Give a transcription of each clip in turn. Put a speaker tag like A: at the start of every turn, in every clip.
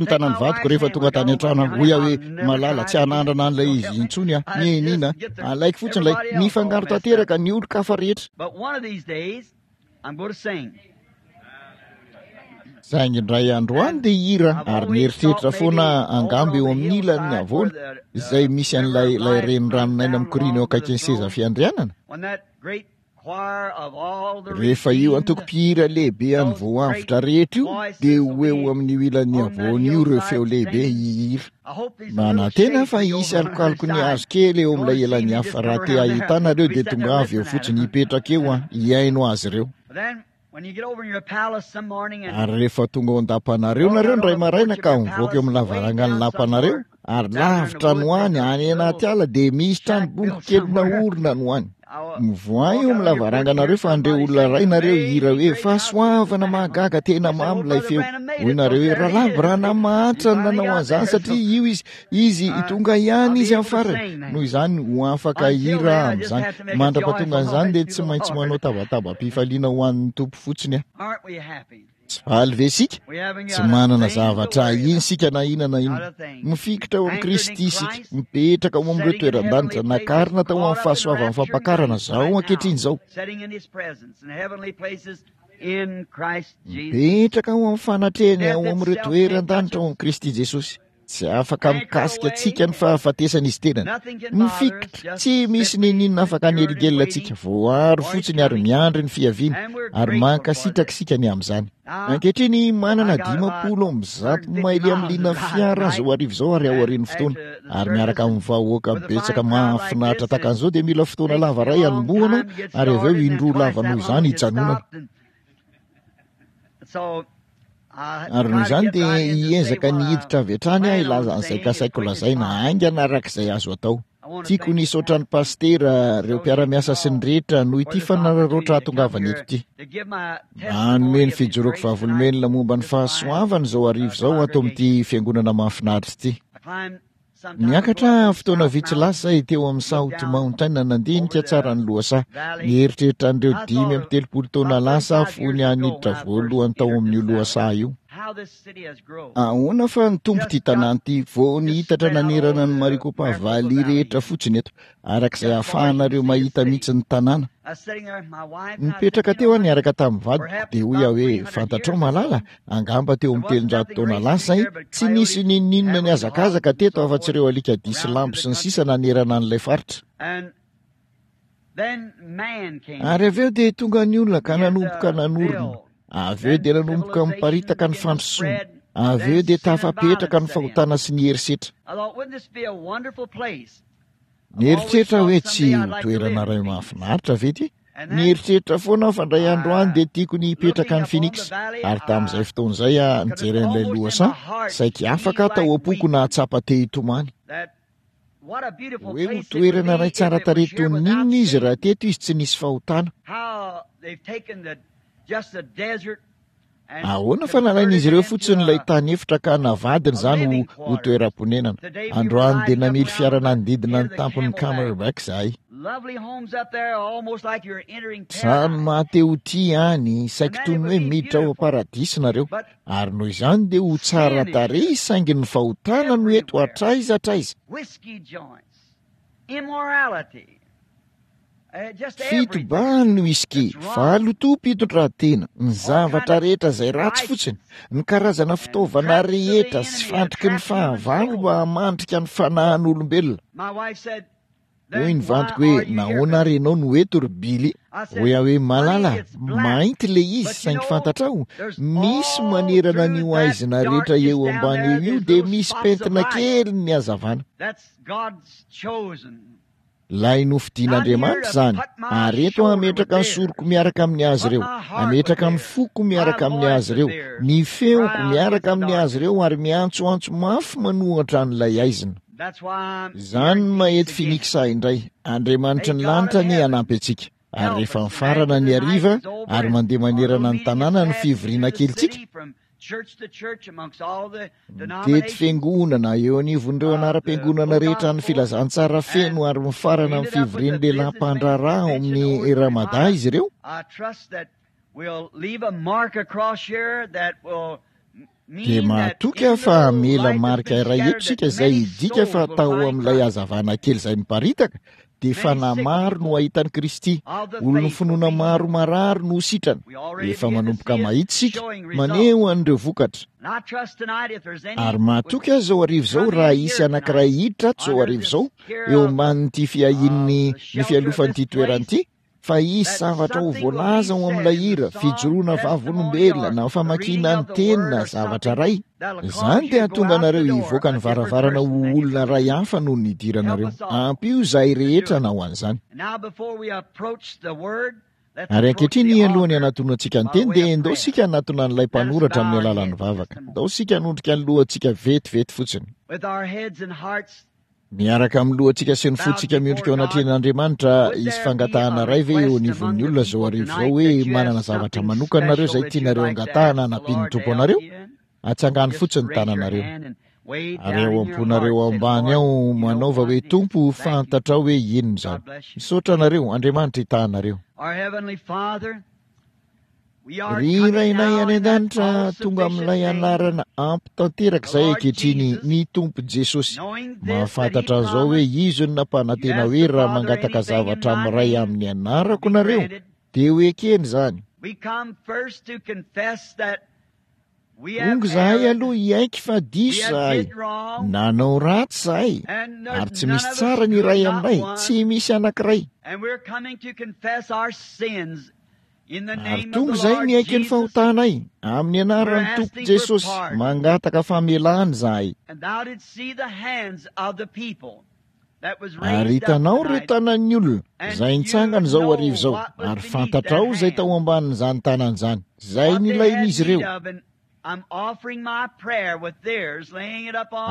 A: fotsiny ny tanan'ny vadiko rehefa tonga tany an-trano aho. Hoy aho hoe, Malala, tsy hanandrana an'ilay izy intsony aho. Nenina. Alaiko fotsiny ilay, mifangaro tanteraka ny olon-kafa rehetra. Saingy indray andro any dia hihira ary nieritreritra foana angamba eo amin'ny ilan'ny havoana izay misy an'ilay ilay reniranon'aina mikoriana eo akaikin'ny seza fiandrianana. Rehefa io antoko-mpihira lehibe an'ny voavotra rehetra io, dia ho eo amin'io ilan'ny havoana io ireo feo lehibe hihira. Manantena aho fa hisy alokaloky ny hazo kely eo amin'ilay ilan'ny hafa. Raha te hahita anareo dia tongava eo fotsiny, hipetraka eo aho, hihaino azy ireo. Ary rehefa tonga ao an-dapanareo nareo indray maraina ka mivoaka eo amin'ny lavarangan'ny lapanareo, ary lavitra any ho any, any anaty ala, dia misy trano bongo kely naorina any ho any. Mivoaha eo amin'ny lavaranganareo fa handre olona iray nareo hihira hoe, Fahasoavana mahagaga, tena mamy ilay feo. Hoy nareo hoe, Rahalahy Branham mahantra no nanao an'izany satria io izy, Izy, tonga ihany izy amin'ny farany. Noho izany, ho afaka hihira aho amin'izany. Mandra-pahatongan'izany dia tsy maintsy manao tabatabam-pifaliana ho an'ny Tompo fotsiny aho. Tsy faly ve isika? Tsy manana zavatra ahiana isika na inona na inona. Mifikitra ao amin'i Kristy isika, mipetraka ao amin'ireo toeran-danitra, nakarina tao amin'ny fahasoavan'ny fampakarana izao ankehitriny izao. Mipetraka ao amin'ny fanatrehany ao amin'ireo toeran-danitra ao amin'i Kristy Jesosy. Tsy afaka mikasika antsika ny fahafatesana izy tenany. Mifikitra, tsy misy n'inon'inona afaka hanelingelina antsika. Voaro fotsiny ary miandry ny fiaviany, ary mankasitraka isika ny amin'izany. Ankehitriny, manana 150 maily amin'ny liana fiara aho izao hariva izao ary aorian'ny fotoana. Ary miaraka amin'ny vahoaka betsaka mahafinaritra tahaka an'izao dia mila fotoana lava iray hanombohana ary avy eo indroa lava noho izany hijanonana. Ary noho izany dia hiezaka ny hiditra avy hatrany aho hilaza an'izay kasaiko lazaina haingana araka izay azo atao. Tiako ny hisaotra ny pasitera, ireo mpiara-miasa sy ny rehetra noho ity fanararaotra hahatongavana eto ity. Nanome ny fijoroako vavolombelona momba ny fahasoavana izao hariva izao ato amin'ity fiangonana mahafinaritra ity. Niakatra fotoana vitsy lasa izay teo amin'ny South Mountain nandinika tsara ny lohasaha. Nieritreritra an'ireo 35 taona lasa aho fony aho niditra voalohany tao amin'io lohasaha io. Ahoana fa nitombo ity tanàna ity vao nihitatra nanerana ny Maricopa Valley rehetra fotsiny eto, araka izay ahafahanareo mahita mihitsy ny tanàna. Nipetraka teo aho niaraka tamin'ny vadiko, dia hoy aho hoe, Fantatrao malala, angamba teo amin'ny 300 taona lasa izay, tsy nisy n'inon'inona nihazakazaka teto afa-tsy ireo alikadia sy lambo sy ny sisa nanerana an'ilay faritra. Ary avy eo dia tonga ny olona ka nanomboka nanorina. Avy eo dia nanomboka miparitaka ny fandrosoana. Avy eo dia tafapetraka ny fahotana sy ny herisetra. Nieritreritra aho hoe tsy ho toerana iray mahafinaritra ve ity? Nieritreritra foana aho fa indray andro any dia tiako ny hipetraka any Phoenix. Ary tamin'izay fotoana izay aho nijery an'ilay lohasaha, saiky afaka aho tao am-poko nahatsapa te hitomany. Hoe ho toerana iray tsara tarehy toy ny inona izy raha teto izy tsy nisy fahotana. Ahoana fa nalain'izy ireo fotsiny ilay tany efitra ka navadiny izany ho ho toeram-ponenana. Androany dia namily fiara nanodidina ny tampon'ny Camelback izahay. Trano maha-te ho tia any, saiky toy ny hoe miditra ao am-paradisa nareo. Ary noho izany dia ho tsara tarehy saingy ny fahotana no eto hatraiza hatraiza. Fitobahany ny whisky, fahalotoam-pitondran-tena, ny zavatra rehetra izay ratsy fotsiny, ny karazana fitaovana rehetra sy fandriky ny fahavalo mba hamandrika ny fanahin'olombelona. Hoy ny vadiko hoe, Nahoana ary ianao no eto ry Billy? Hoy aho hoe, Malala, mainty ilay izy, saingy fantatrao, misy manerana an'io haizina rehetra eo ambany eo io dia misy pentina kely ny hazavana. Ilay nofidin'Andriamanitra izany, ary eto aho hametraka ny soroko miaraka amin'ny azy ireo, hametraka ny foko miaraka amin'ny azy ireo, ny feoko miaraka amin'ny azy ireo, ary miantsoantso mafy manohatra an'ilay haizina. Izany no maha eto Phoenix ahy indray. Andriamanitry ny lanitra anie hanampy antsika. Ary rehefa mifarana ny hariva ary mandeha manerana ny tanàna ny fivoriana kelintsika, mitety fiangonana eo anivon'ireo anaram-piangonana rehetra ny filazantsara feno ary mifarana amin'ny fivorian'ny lehilahy mpandraharaha ao amin'ny Ramada izy ireo. Dia mahatoky aho fa hamela marika iray eto isika izay hidika fa tao amin'ilay hazavana kely izay miparitaka dia fanahy maro no hahita an'i Kristy, olon'ny finoana maro marary no ho sitrana. Efa manomboka mahita isika, maneho an'ireo vokatra. Ary mahatoky aho izao hariva izao raha hisy anankiray hiditra ato izao hariva izao, eo ambanin'ity fiahian'ny, ny fialofan'ity toerana ity, Fa hisy zavatra ho voalaza ao amin'ilay hira, fijoroana vavolombelona, na famakiana ny teny na zavatra iray. Izany dia hahatonga anareo hivoaka ny varavarana ho olona iray hafa noho ny nidiranareo. Ampio izahay rehetra hanao an'izany. Ary ankehitriny, alohan'ny hanatonantsika ny teny, dia ndao isika hanatona an'ilay mpanoratra amin'ny alalan'ny vavaka. Ndao isika hanondrika ny lohantsika vetivety fotsiny. Miaraka amin'ny lohantsika sy ny fontsika miondrika eo anatrehan'Andriamanitra, hisy fangatahana iray ve eo anivon'ny olona izao hariva izao hoe manana zavatra manokana nareo izay tianareo angatahana hanampian'ny Tompo anareo? Atsangano fotsiny ny tananareo. Ary ao am-ponareo ao ambany ao manaova hoe, Tompo, fantatrao hoe inona izany. Misaotra anareo, Andriamanitra hitaha anareo. Ry Rainay any An-danitra, tonga amin'ilay anarana ampy tanteraka izay ankehitriny, ny Tompo Jesosy. Mahafantatra an'izao hoe Izy no nampanantena hoe raha mangataka zavatra amin'ny Ray amin'ny anarako nareo, dia ho ekeny izany. Tonga izahay aloha hiaiky fa diso izahay, nanao ratsy izahay, ary tsy misy tsara ny iray aminay, tsy misy anankiray. Ary tonga izahay miaiky ny fahotanay, amin'ny anaran'ny Tompo Jesosy, mangataka famelana izahay. Ary hitanao ireo tanan'ny olona izay nitsangana izao hariva izao, ary fantatrao izay tao ambanin'izany tanana izany, izay nilain'izy ireo.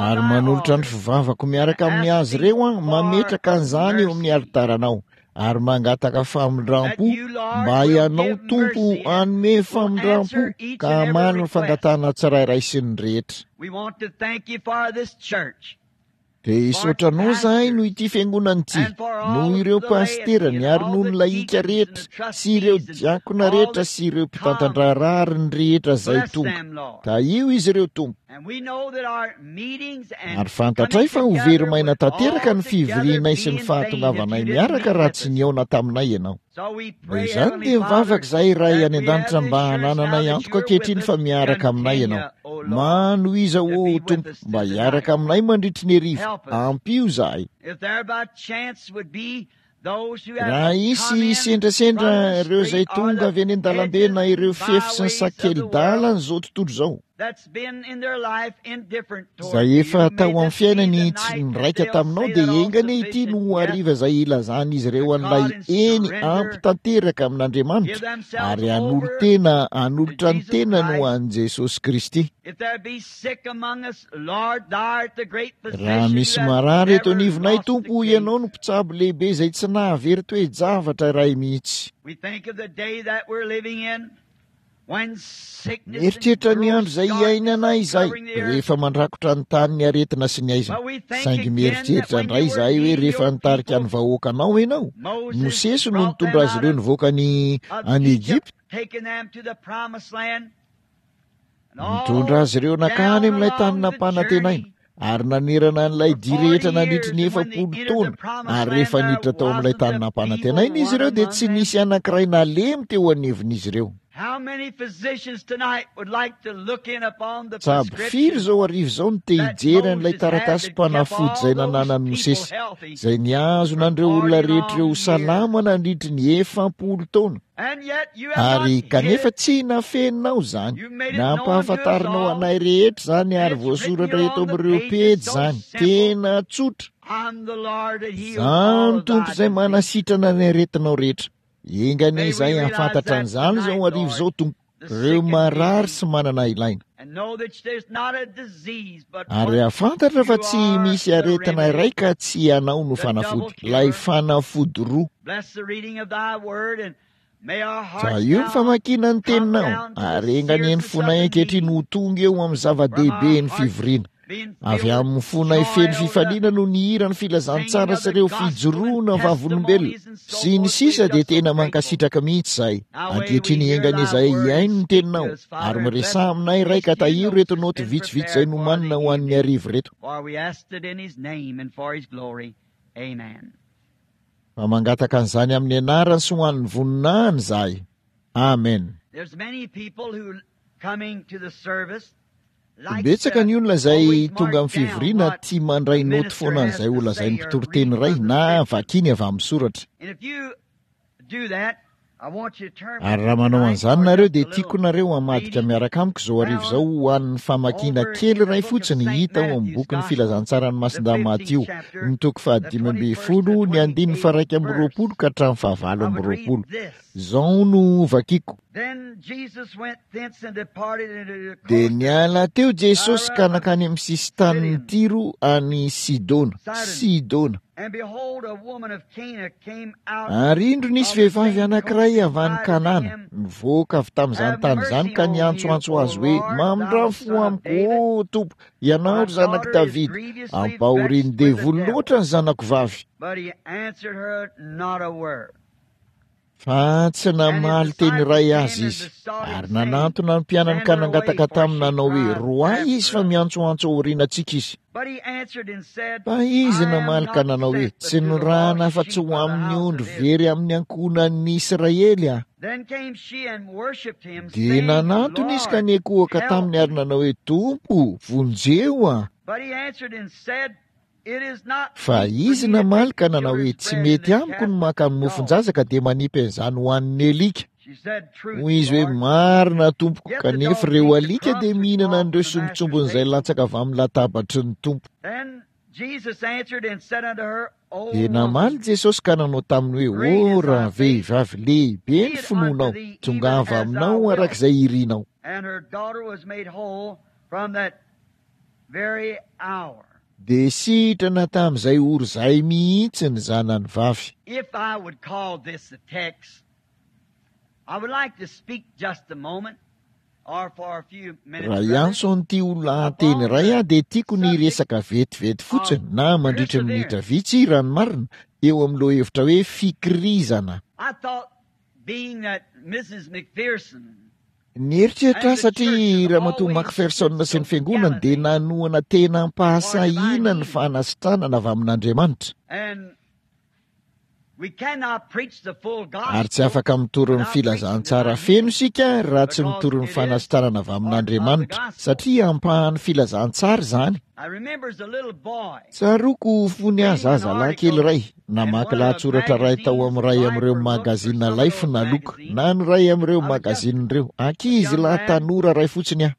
A: Ary manolotra ny fivavako miaraka amin'ny azy ireo aho, mametraka an'izany eo amin'ny alitaranao, ary mangataka famindram-po mba Ianao Tompo hanome famindram-po ka hamaly ny fangatahana tsirairay sy ny rehetra. Dia hisaotra anao izahay noho ity fiangonana ity, noho ireo pasiterany ary noho ny lahika rehetra sy ireo diakona rehetra sy ireo mpitantan-draharaha ary ny rehetra izay tonga. Tahio izy ireo, Tompo. Ary fantatray fa ho very maina tanteraka ny fivorianay sy ny fahatongavanay miaraka raha tsy nihaona taminay Ianao. Noho izany dia mivavaka izahay Ray any An-danitra mba hanananay antoka ankehitriny fa miaraka aminay Ianao. Manohiza ô Tompo mba hiaraka aminay mandritry ny hariva. Ampio izahay. Raha hisy sendrasendra ireo izay tonga avy eny an-dalambe na ireo fefy sy ny sakeli-dalan'izao tontolo izao, Izay efa tao amin'ny fiainany tsy niraika taminao dia enga anie ity no ho hariva izay hilazan'izy ireo an'ilay eny ampy tanteraka amin'Andriamanitra ary hanolo-tena hanolotra ny tenany ho an'i Jesosy Kristy. Raha misy marary eto anivonay Tompo, Ianao no mpitsabo lehibe izay tsy nahavery toe-javatra iray mihitsy. Mieritreritra ny andro izay hiainana izahay, rehefa mandrakotra ny tany ny aretina sy ny haizina. Saingy mieritreritra indray izahay hoe rehefa nitarika ny vahoakanao ianao, Mosesy no nitondra azy ireo nivoaka ny any Egypta, nitondra azy ireo nankany amin'ilay tany nampanantenaina, ary nanerana an'ilay dia rehetra nandritry ny 40 taona, ary rehefa niditra tao amin'ilay tany nampanantenaina izy ireo dia tsy nisy anankiray nalemy teo anivon'izy ireo. Tsabo firy izao hariva izao no te hijery an'ilay taratasim-panafody izay nananan'i Mosesy, izay nihazona an'ireo olona rehetra ireo ho salama nandritry ny 40 taona? Ary kanefa tsy nafeninao izany, nampahafantarinao anay rehetra izany ary voasoratra eto amin'ireo pejy izany. Tena tsotra. Izaho no Tompo izay manasitrana ny aretinao rehetra. Enga anie izahay hahafantatra an'izany izao hariva izao, Tompo, ireo marary sy manana ilaina. Ary hahafantatra fa tsy misy aretina iray ka tsy ianao no fanafody, ilay fanafody roa. Tahio ny famakiana ny teninao, ary enga anie ny fonay ankehitriny ho tonga eo amin'ny zava-dehibe ny fivoriana. Avy amin'ny fonay feno fifaliana no nihira ny filazantsara sy ireo fijoroana vavolombelona sy ny sisa dia tena mankasitraka mihitsy izahay. Ankehitriny enga anie izahay hihaino ny teninao ary miresaha aminay Ray ka tahiro ireto naoty vitsivitsy izay nomanina ho an'ny hariva ireto. Fa mangataka an'izany amin'ny anarany sy ho an'ny voninahiny izahay. Amen. Betsaka ny olona izay tonga amin'ny fivoriana tia mandray naoty foana an'izay ho lazain'ny mpitoriteny iray na vakiany avy amin'ny soratra. Ary raha manao an'izany nareo dia tiako nareo hamadika miaraka amiko izao hariva izao ho an'ny famakiana kely iray fotsiny hita ao amin'ny bokin'ny Filazantsaran'i Masindahy Matio, ny toko faha-15, ny andininy faha-21 ka hatramin'ny faha-28. Izao no hovakiko. Dia niala teo Jesosy ka nankany amin'ny sisin-tanin'i Tyro any Sidona. Sidona. Ary indro nisy vehivavy anankiray avy any Kanana, nivoaka avy tamin'izany tany izany ka niantsoantso azy hoe, Mamindrà fo amiko, ô Tompo, ianao ry zanak'i Davida, ampahorian'ny devoly loatra ny zanako vavy. Fa tsy namaly teny iray azy izy. Ary nanantona ny mpianany ka nangataka taminy nanao hoe, Roahy izy fa miantsoantso aoriana antsika izy. Fa izy namaly ka nanao hoe, Tsy nirahana afa-tsy ho amin'ny ondry very amin'ny ankohonan'ny Israely aho. Dia nanantona izy ka niankohoka taminy ary nanao hoe, Tompo, vonjeo aho. Fa izy namaly ka nanao hoe, Tsy mety amiko ny maka ny mofon-jaza ka dia manipy an'izany ho an'ny alika. Hoy izy hoe, Marina, tompoko, kanefa ireo alika dia mihinana an'ireo sombintsombin'izay latsaka avy amin'ny latabatry ny Tompo. Dia namaly Jesosy ka nanao taminy hoe, Ô ravehivavy, lehibe ny finoanao, tongava aminao araka izay irinao. Dia sitrana tamin'izay ora izay mihitsy ny zanany vavy.
B: If I would call this a text, I would like to speak just a moment or for a few minutes,
A: Raha
B: brother,
A: hiantso an'ity ho lahateny
B: upon
A: iray
B: the
A: aho dia tiako ny
B: subject
A: hiresaka vetivety fotsiny
B: of
A: na mandritra ny minitra
B: perseverance.
A: vitsy raha ny marina eo amin'ny lohahevitra hoe fikirizana.
B: I thought being that Mrs. McPherson
A: Nieritreritra aho satria Ramatoa McPherson sy ny fiangonany dia nanohana tena am-pahasahiana ny fanasitranana avy amin'Andriamanitra. Ary tsy afaka mitory ny filazantsara feno isika raha tsy mitory ny fanasitranana avy amin'Andriamanitra, satria ampahan'ny filazantsara izany. Tsaroako fony aho zazalahy kely iray, namaky lahatsoratra iray tao amin'ny iray amin'ireo magazina Life na Look, na ny iray amin'ireo magazina ireo. Ankizilahy tanora iray fotsiny aho.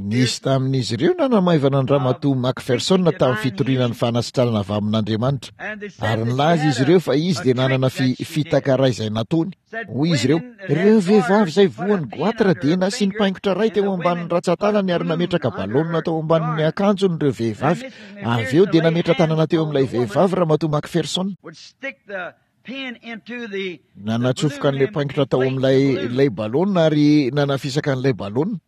A: Nisy tamin'izy ireo nanamaivana an-dRamatoa McPherson tamin'ny fitoriana ny fanasitranana avy amin'Andriamanitra, ary nilaza izy ireo fa izy dia nanana fi, fitaka iray izay nataony. Hoy izy ireo, Ireo vehivavy izay voan'ny goatra dia nasiany paingotra iray teo ambanin'ny rantsantanany ary nametraka balaonina tao ambanin'ny akanjony ireo vehivavy. Avy eo dia nametra-tanana teo amin'ilay vehivavy Ramatoa McPherson. Nanatsofoka an'ilay paingotra tao amin'ilay ilay balaonina ary nanafisaka an'ilay balaonina.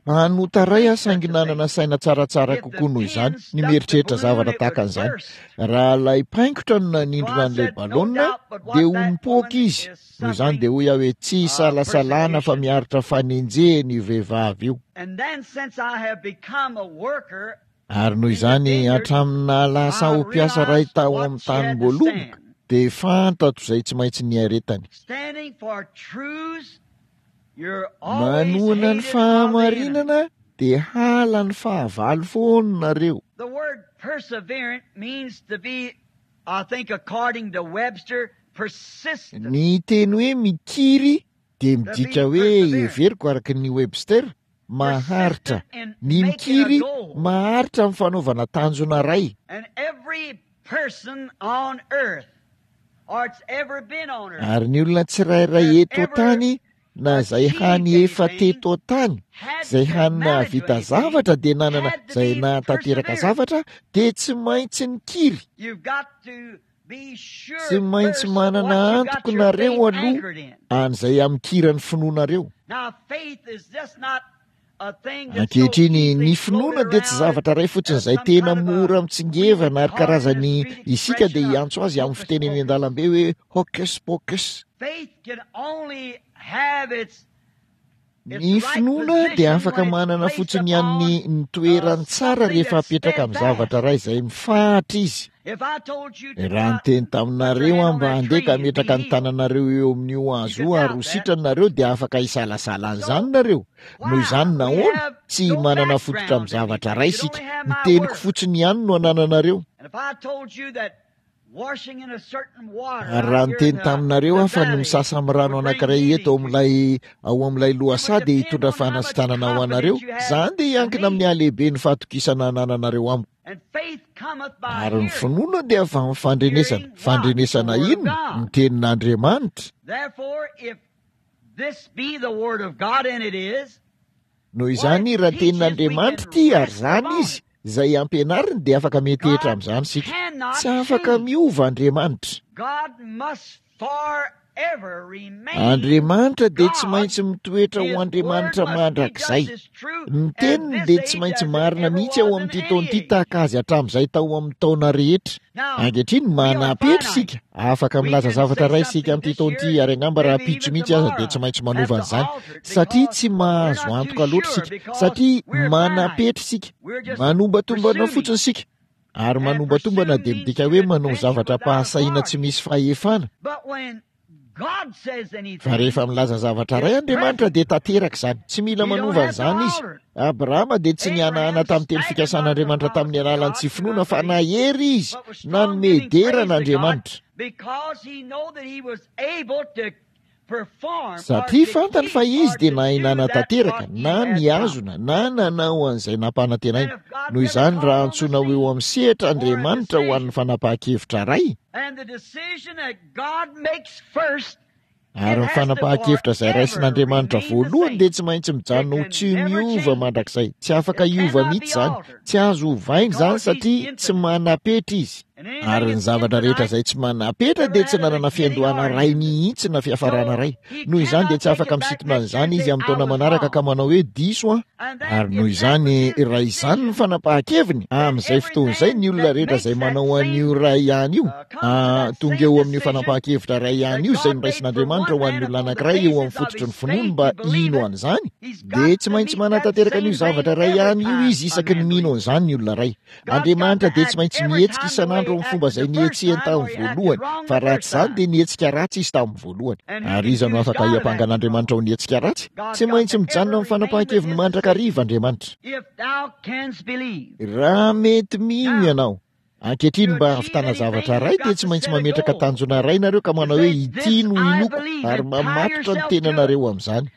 A: Mpanota iray aho saingy nanana saina tsaratsara kokoa noho izany ny mieritreritra zavatra tahaka an'izany. Raha ilay paingotra no nanindrona an'ilay balaonina dia ho nipoaka izy. Noho izany dia hoy aho hoe tsy isalasalana fa miaritra fanenjehana io vehivavy io. Ary noho izany hatramin'ny nahalasa ahy ho mpiasa iray tao amin'ny tanim-boaloboka dia fantatro izay tsy maintsy niaretany. Manohana ny fahamarinana dia hala ny fahavalo foana nareo.
B: The word perseverant means to be, I think according to Webster, persistent.
A: Ny teny hoe mikiry dia midika hoe, heveriko araka ny Webster, maharitra. Ny mikiry, maharitra amin'ny fanaovana tanjona iray.
B: And every person on earth
A: Ary ny olona tsirairay eto an-tany na izay hany efa teto an-tany, izay hany nahavita zavatra dia nanana, izay nahatanteraka zavatra dia tsy maintsy nikiry. Tsy maintsy manana antoko nareo aloha an'izay amikiran'ny finoanareo. Ankehitriny, ny finoana dia tsy zavatra iray fotsiny izay tena mora mitsingevana ary karazany isika dia hiantso azy amin'ny fiteny eny an-dalambe hoe hocus pocus. Ny finoana dia afaka manana fotsiny ihany ny toerany tsara rehefa apetraka amin'ny zavatra iray izay mifahatra izy. Raha niteny taminareo aho mba handeha ka hametraka ny tananareo eo amin'io hazo io ary ho sitrana nareo dia afaka hisalasala an'izany nareo. Noho izany nahoana? Tsy manana fototra amin'ny zavatra iray isika. Ny teniko fotsiny ihany no anananareo. Ary raha niteny taminareo aho fa ny misasa amin'ny rano anankiray eto ao amin'ilay ao amin'ilay lohasaha dia hitondra fanasitranana ho anareo, izany dia hiankina amin'ny halehiben'ny fahatokisana anananareo amiko. Ary ny finoana dia avy amin'ny fandrenesana. Fandrenesana inona? Ny tenin'Andriamanitra. Noho izany, raha tenin'Andriamanitra ity, ary izany izy, izay ampianariny, dia afaka miantehitra amin'izany isika. Tsy afaka miova Andriamanitra. Andriamanitra dia tsy maintsy mitoetra ho Andriamanitra mandrakizay. Ny teniny dia tsy maintsy marina mihitsy ao amin'ity taona ity tahaka azy hatramin'izay tao amin'ny taona rehetra. Ankehitriny, manam-petra isika. Afaka milaza zavatra iray isika amin'ity taona ity, ary angamba rahampitso mihitsy aza dia tsy maintsy manova an'izany, satria tsy mahazo antoka loatra isika, satria manam-petra isika. Manombatombana fotsiny isika. Ary manombatombana dia midika hoe manao zavatra am-pahasahiana tsy misy fahefana. Fa rehefa milaza zavatra iray Andriamanitra dia tanteraka izany. Tsy mila manova an'izany Izy. Abrahama dia tsy nihanahana tamin'ny teny fikasan'Andriamanitra tamin'ny alalan'ny tsy finoana fa nahery izy nanome dera an'Andriamanitra. Satria fantany fa izy dia nahay nanatanteraka na nihazona na nanao an'izay nampanantenaina. Noho izany, raha antsoina ho eo amin'ny sehatra Andriamanitra ho an'ny fanapahan-kevitra iray, ary ny fanapahan-kevitra izay raisin'Andriamanitra voalohany dia tsy maintsy mijanona ho tsy miova mandrakizay. Tsy afaka hiova mihitsy izany. Tsy azo ovaina izany satria tsy manam-petra izy. Ary ny zavatra rehetra izay tsy manam-petra dia tsy nanana fiandohana iray mihitsy na fiafarana iray. Noho izany dia tsy afaka misintona an'izany izy amin'ny taona manaraka ka manao hoe diso aho. Ary noho izany, raha izany ny fanapahan-keviny, amin'izay fotoana izay ny olona rehetra izay manao an'io iray ihany io, tonga eo amin'io fanapahan-kevitra iray ihany io izay noraisin'Andriamanitra ho an'ny olona anankiray eo amin'ny fototry ny finoany mba hino an'izany, dia tsy maintsy manatanteraka an'io zavatra iray ihany io izy isaky ny mino an'izany ny olona iray. Andriamanitra dia tsy maintsy mihetsika isan'andro amin'ny fomba izay nihetsehany tamin'ny voalohany, fa raha tsy izany dia nihetsika ratsy izy tamin'ny voalohany. Ary iza no afaka hiampanga an'Andriamanitra ho nihetsika ratsy? Tsy maintsy mijanona amin'ny fanapahan-keviny mandrakariva Andriamanitra. Raha mety mino ianao. Ankehitriny mba hahavitana zavatra iray dia tsy maintsy mametraka tanjona iray nareo ka manao hoe ity no inoako ary mamatotra ny tenanareo amin'izany.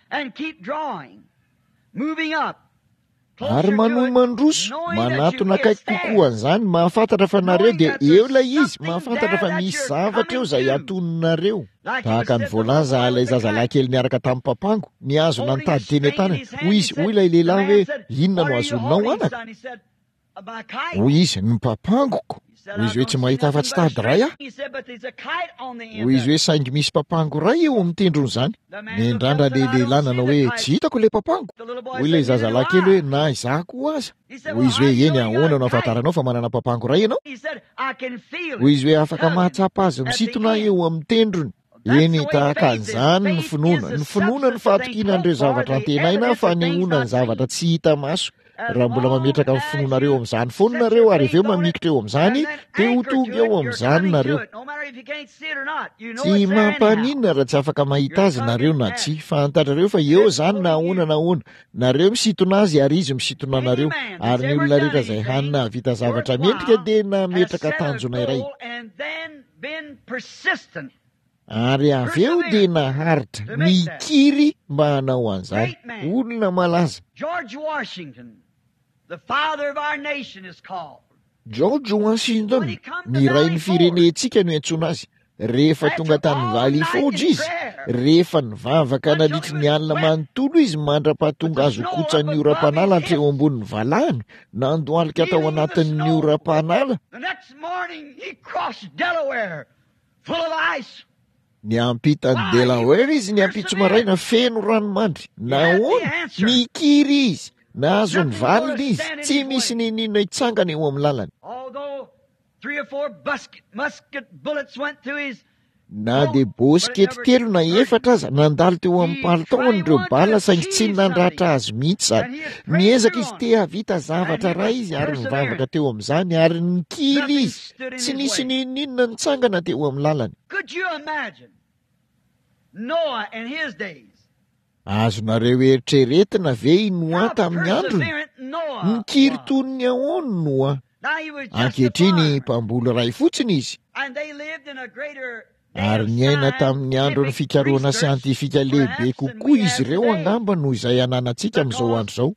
A: Ary manohy mandroso, manatona akaiky kokoa an'izany, mahafantatra fa nareo dia eo ilay izy, mahafantatra fa misy zavatra eo izay atoninareo. Tahaka ny voalaza ilay zazalahy kely niaraka tamin'ny papango, nihazona ny tady teny an-tanany, hoy izy, hoy ilay lehilahy hoe, Inona no hazoninao anaka? Hoy izy, Ny papangoko. Hoy izy hoe, Tsy mahita afa-tsy tady iray aho. Hoy izy hoe, Saingy misy papango iray eo amin'ny tendron'izany. Niandrandra ilay lehilahy nanao hoe, Tsy hitako ilay papango. Hoy ilay zazalahy kely hoe, Na izaho koa aza. Hoy izy hoe, Eny, ahoana no ahafantaranao fa manana papango iray ianao? Hoy izy hoe, Afaka mahatsapa azy misintona aho eo amin'ny tendrony. Eny, tahaka an'izany ny finoana. Ny finoana no fahatokiana an'ireo zavatra antenaina, fanehoana ny zavatra tsy hita maso. Raha mbola mametraka ny finoanareo amin'izany foana nareo ary avy eo mamikitra eo amin'izany, dia ho tonga eo amin'izany nareo. Tsy mampaninona raha tsy afaka mahita azy nareo na tsia. Fantatrareo fa eo izany na ahoana na ahoana. Nareo misintona azy ary izy misintona anareo. Ary ny olona rehetra izay hany nahavita zavatra mendrika dia nametraka tanjona iray. Ary avy eo dia naharitra, nikiry mba hanao an'izany. Olona malaza.
B: George Washington, the father of our nation is called.
A: George Washington, ny rain'ny firenentsika no iantsoana azy. Rehefa tonga tany Valley Forge izy, rehefa nivavaka nandritry ny alina manontolo izy mandra-pahatonga azy ho kotsan'ny oram-panala hatreo ambonin'ny valahany, nandohalika tao anatin'ny oram-panala, Niampita an'i Delaware izy ny ampitso maraina feno ranomandry. Nahoana? Nikiry izy. Nahazo ny valiny izy. Tsy misy n'inon'inona hitsangana eo amin'ny lalany. Na dia bosikety telo na efatra aza nandalo teo amin'ny palitaony ireo bala, saingy tsy nandratra azy mihitsy izany. Niezaka izy te hahavita zavatra iray izy ary nivavaka teo amin'izany ary nikily izy. Tsy nisy n'inon'inona nitsangana teo amin'ny lalany. Azonareo eritreretina ve i Noa tamin'ny androny? Nikiry toy ny ahoana Noa? Ankehitriny, mpamboly iray fotsiny izy. Ary niaina tamin'ny andron'ny fikarohana siantifika lehibe kokoa izy ireo angamba noho izay ananantsika amin'izao andro izao,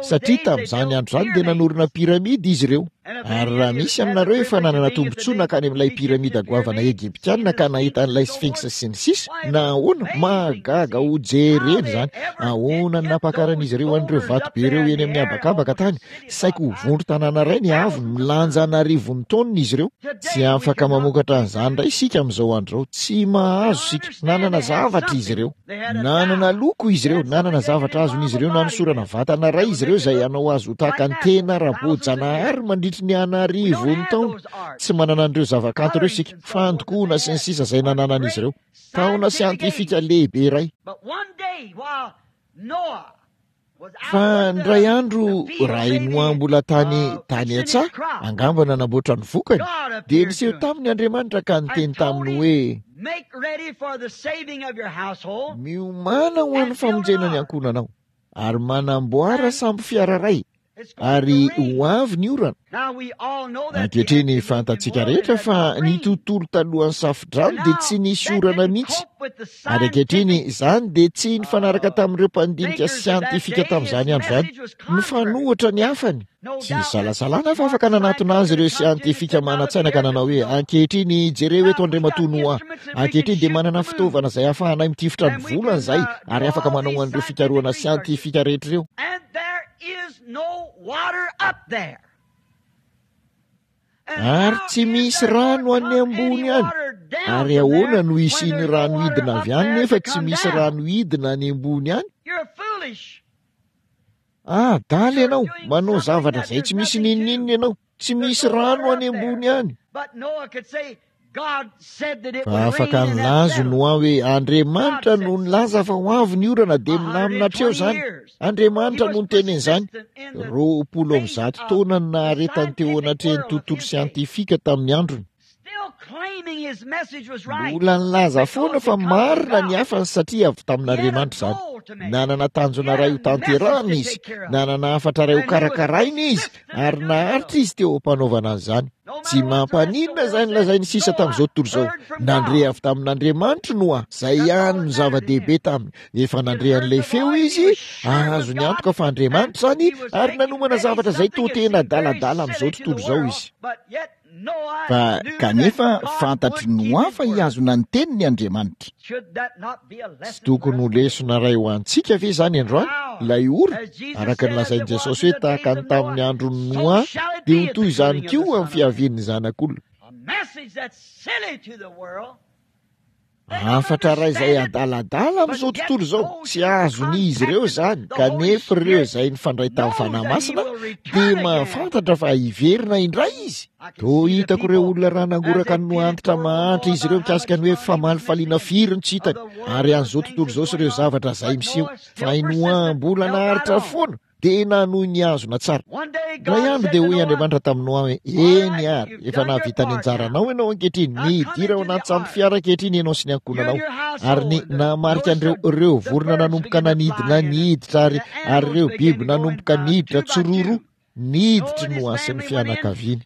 A: satria tamin'izany andro izany dia nanorina piramida izy ireo. Ary raha misy aminareo efa nanana tombontsoa nankany amin'ilay piramida goavana Egyptiana ka nahita an'ilay Sphinx sy ny sisa, na ahoana, mahagaga ho jerena izany. Ahoana ny nampakaran'izy ireo an'ireo vato be ireo eny amin'ny habakabaka tany? Saiky ho vondron-tanàna iray ny haavony, milanja an'arivony taonina izy ireo. Tsy afaka mamokatra an'izany indray isika amin'izao andro izao. Tsy mahazo isika. Nanana zavatra izy ireo. Nanana loko izy ireo. Nanana zavatra azon'izy ireo nanosorana vatana iray izy ireo izay hanao azy ho tahaka ny tena ara-boajanahary mandritry ny an'arivony taona. Tsy manana an'ireo zavakanto ireo isika. Fandokoana sy ny sisa izay nananan'izy ireo. Taona siantifika lehibe iray. Fa indray andro, raha i Noa mbola tany tany an-tsaha, angamba nanamboatra ny vokany, dia niseho taminy Andriamanitra ka niteny taminy hoe, Miomàna ho an'ny famonjena ny ankohonanao, ary manamboara sambo fiara iray, ary ho avy ny orana. Ankehitriny fantatsika rehetra fa ny tontolo talohan'ny safodrano dia tsy nisy orana mihitsy. Ary ankehitriny izany dia tsy nifanaraka tamin'ireo mpandinika siantifika tamin'izany andro izany. Nifanohitra ny hafany. Tsy isalasalana fa afaka nanatona azy ireo siantifika manan-tsaina ka nanao hoe, Ankehitriny, jereo eto Andriamatoa Noa. Ankehitriny dia manana fitaovana izay ahafahanay mitifitra ny volana izahay ary afaka manao an'ireo fikarohana siantifika rehetra ireo.
B: Is no water up there.
A: Ary tsy misy rano any ambony any. Ary ahoana no hisian'ny rano hidina avy any nefa tsy misy rano hidina any ambony any? Ah, adala ianao, manao zavatra izay tsy misy n'inon'inona ianao. Tsy misy rano any ambony any. Fa afaka nilaza Noa hoe Andriamanitra no nilaza fa ho avy ny orana dia milamina hatreo izany. Andriamanitra no niteny an'izany. 120 taona no naharetany teo anatrehan'ny tontolo siantifika tamin'ny androny. Mbola nilaza foana fa marina ny hafany satria avy tamin'Andriamanitra izany. Nanana tanjona iray ho tanterahana izy, nanana hafatra iray ho karakaraina izy, ary naharitra izy teo am-panaovana an'izany. Tsy mampaninona izay nolazain'ny sisa tamin'izao tontolo izao. Nandre avy tamin'Andriamanitra Noa, izay ihany no zava-dehibe taminy. Efa nandre an'ilay feo izy, azony antoka fa Andriamanitra izany, ary nanomana zavatra izay toa tena adaladala amin'izao tontolo izao izy.
C: Fa kanefa fantatr'i Noa fa hihazona ny teniny Andriamanitra.
A: Tsy tokony ho lesona iray ho antsika ve izany androany, ilay ora, araka ny lazain'i Jesosy hoe tahaka ny tamin'ny andron'i Noa, dia ho toy izany koa amin'ny fiavian'ny Zanak'olona. Hafatra iray izay adaladala amin'izao tontolo izao, tsy azon'izy ireo izany, kanefa ireo izay nifandray tamin'ny Fanahy Masina dia mahafantatra fa hiverina indray izy. Toa hitako ireo olona raha nangoraka ny Noa antitra mahantra izy ireo mikasika ny hoe famalifaliana firy no tsy hitany, ary an'izao tontolo izao sy ireo zavatra izay miseho. Fa i Noa mbola naharitra foana, dia nanohy nihazona tsara. Indray andro dia hoy Andriamanitra tamin'i Noa hoe, Eny ary, efa nahavita ny anjaranao ianao ankehitriny, midira ao anaty sambo fiara ankehitriny ianao sy ny ankohonanao. Ary ny nahamarika an'ireo, ireo vorona nanomboka nanidina niditra ary, ary ireo biby nanomboka niditra tsiroaroa, niditry Noa sy ny fianakaviany.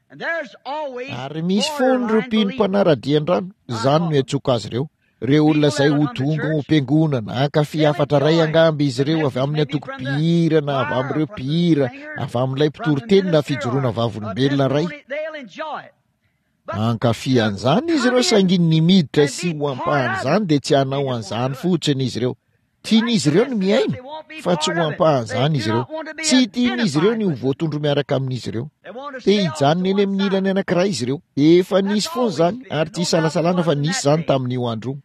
A: Ary misy foana ireo mpino mpanara-dia an-drano, izany no iantsoako azy ireo. Ireo olona izay ho tonga ao am-piangonana, hankafy hafatra iray angamba izy ireo avy amin'ny antoko mpihira na avy amin'ireo mpihira, avy amin'ilay mpitoriteny na fijoroana vavolombelona iray. Hankafy an'izany izy ireo saingy ny miditra sy ho ampahan'izany dia tsy hanao an'izany fotsiny izy ireo. Tian'izy ireo ny mihaino, fa tsy ho ampahan'izany izy ireo. Tsy tian'izy ireo ny ho voatondro miaraka amin'izy ireo. Te hijanona eny amin'ny ilany anankiray izy ireo. Efa nisy foana izany, ary tsy isalasalana fa nisy izany tamin'io andro io.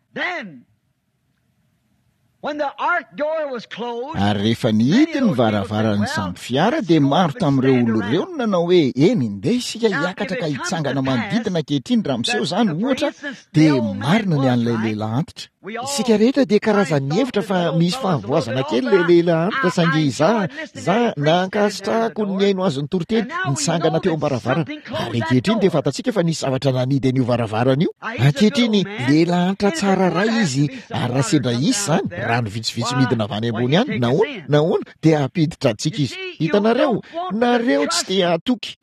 A: Ary rehefa nihidy ny varavaran'ny sambo fiara dia maro tamin'ireo olona ireo no nanao hoe, Eny, ndeha isika hiakatra ka hitsangana manodidina ankehitriny raha miseho izany, ohatra, dia marina ny an'ilay lehilahy antitra. Isika rehetra dia karazan'ny nihevitra fa misy fahavoazana kely ilay lehilahy antitra, saingy izaho, izaho, nankasitrahako ny nihaino azy nitoriteny, nitsangana teo am-baravarana. Ary ankehitriny dia fantatsika fa nisy zavatra nanidy an'io varavarana io. Ankehitriny, lehilahy antitra tsara ray izy, ary raha sendra hisy izany, rano vitsivitsy midina avy any ambony any, nahoana, nahoana, dia hampiditra antsika izy. Hitanareo, nareo tsy te hahatoky.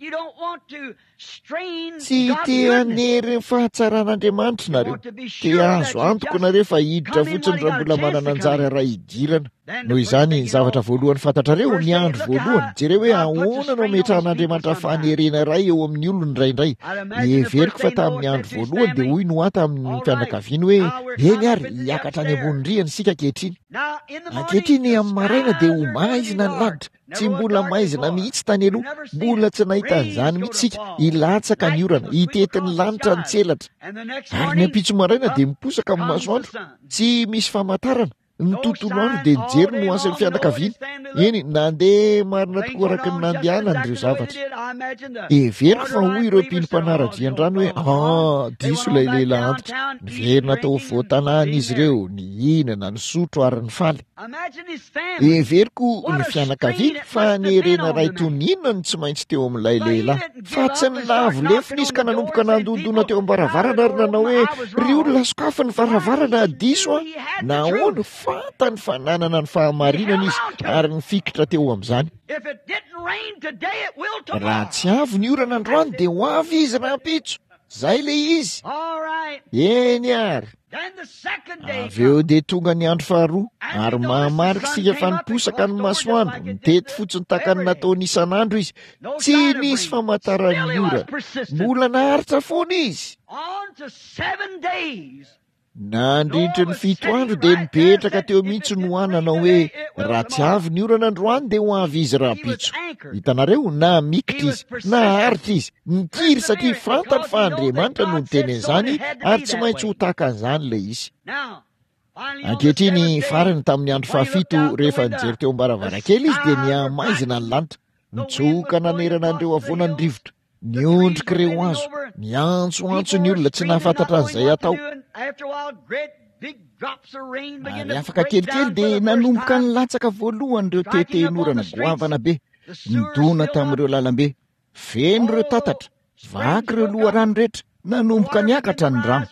A: Tsy te hanery ny fahatsaran'Andriamanitra nareo. Te hahazo antoka nareo fa hiditra fotsiny raha mbola manana anjara iray hidirana. Noho izany, ny zavatra voalohany fantatrareo, ny andro voalohany, jereo hoe ahoana no ametrahan'Andriamanitra fanerena iray eo amin'ny olony indraindray. Heveriko fa tamin'ny andro voalohany dia hoy Noa tamin'ny fianakaviany hoe, Eny ary, hiakatra any ambony rihana isika ankehitriny. Ankehitriny amin'ny maraina dia ho maizina ny lanitra. Tsy mbola maizina mihitsy tany aloha, mbola tsy nahita an'izany mihitsy isika. Hilatsaka ny orana, hitety ny lanitra ny tselatra. Ary ny ampitso maraina dia miposaka ny masoandro, tsy misy famantarana. Ny tontolo andro dia nijery ny ho fianakaviany. Eny, nandeha marina tokoa araka ny nandehanany ireo zavatra. Heveriko fa hoy ireo mpino mpanara-drian-drano hoe, Ah, diso ilay lehilahy antitra. Niverina tao afovoan-tanàna izy ireo, nihinana, nisotro ary nifaly. Heveriko ny fianakaviany fa nerena iray toy ny inona no tsy maintsy teo amin'ilay lehilahy. Fa tsy nilavo lefona izy ka nanomboka nandondona teo am-baravarana ary nanao hoe, Ry olona, sokafy ny varavarana, diso aho. Nahoana? Fantany fa nanana ny fahamarinana izy ary nifikitra teo amin'izany. Raha tsy avy ny orana androany dia ho avy izy rahampitso. Izay ilay izy. Eny ary. Avy eo dia tonga ny andro faharoa, ary mahamarika isika fa niposaka ny masoandro, nitety fotsiny tahaka ny nataony isan'andro izy. Tsy nisy famantaran'ny orana. Mbola naharitra foana izy. Nandritry ny fito andro dia nipetraka teo mihitsy Noa nanao hoe, Raha tsy avy ny orana androany dia ho avy izy rahampitso. Hitanareo, namikitra izy, naharitra izy, nikiry satria fantany fa Andriamanitra no niteny an'izany ary tsy maintsy ho tahaka an'izany ilay izy. Ankehitriny, farany tamin'ny andro fahafito, rehefa nijery teo am-baravarankely izy dia nihamaizina ny lanitra, nitsoka nanerana an'ireo havoana ny rivotra. Niondrika ireo hazo, niantsoantso ny olona tsy nahafantatra an'izay hatao. Ary afaka kelikely dia nanomboka nilatsaka voalohany ireo tetehinorana goavana be, nidona tamin'ireo lalambe. Feno ireo tatatra, vaky ireo loharano rehetra, nanomboka niakatra ny rano.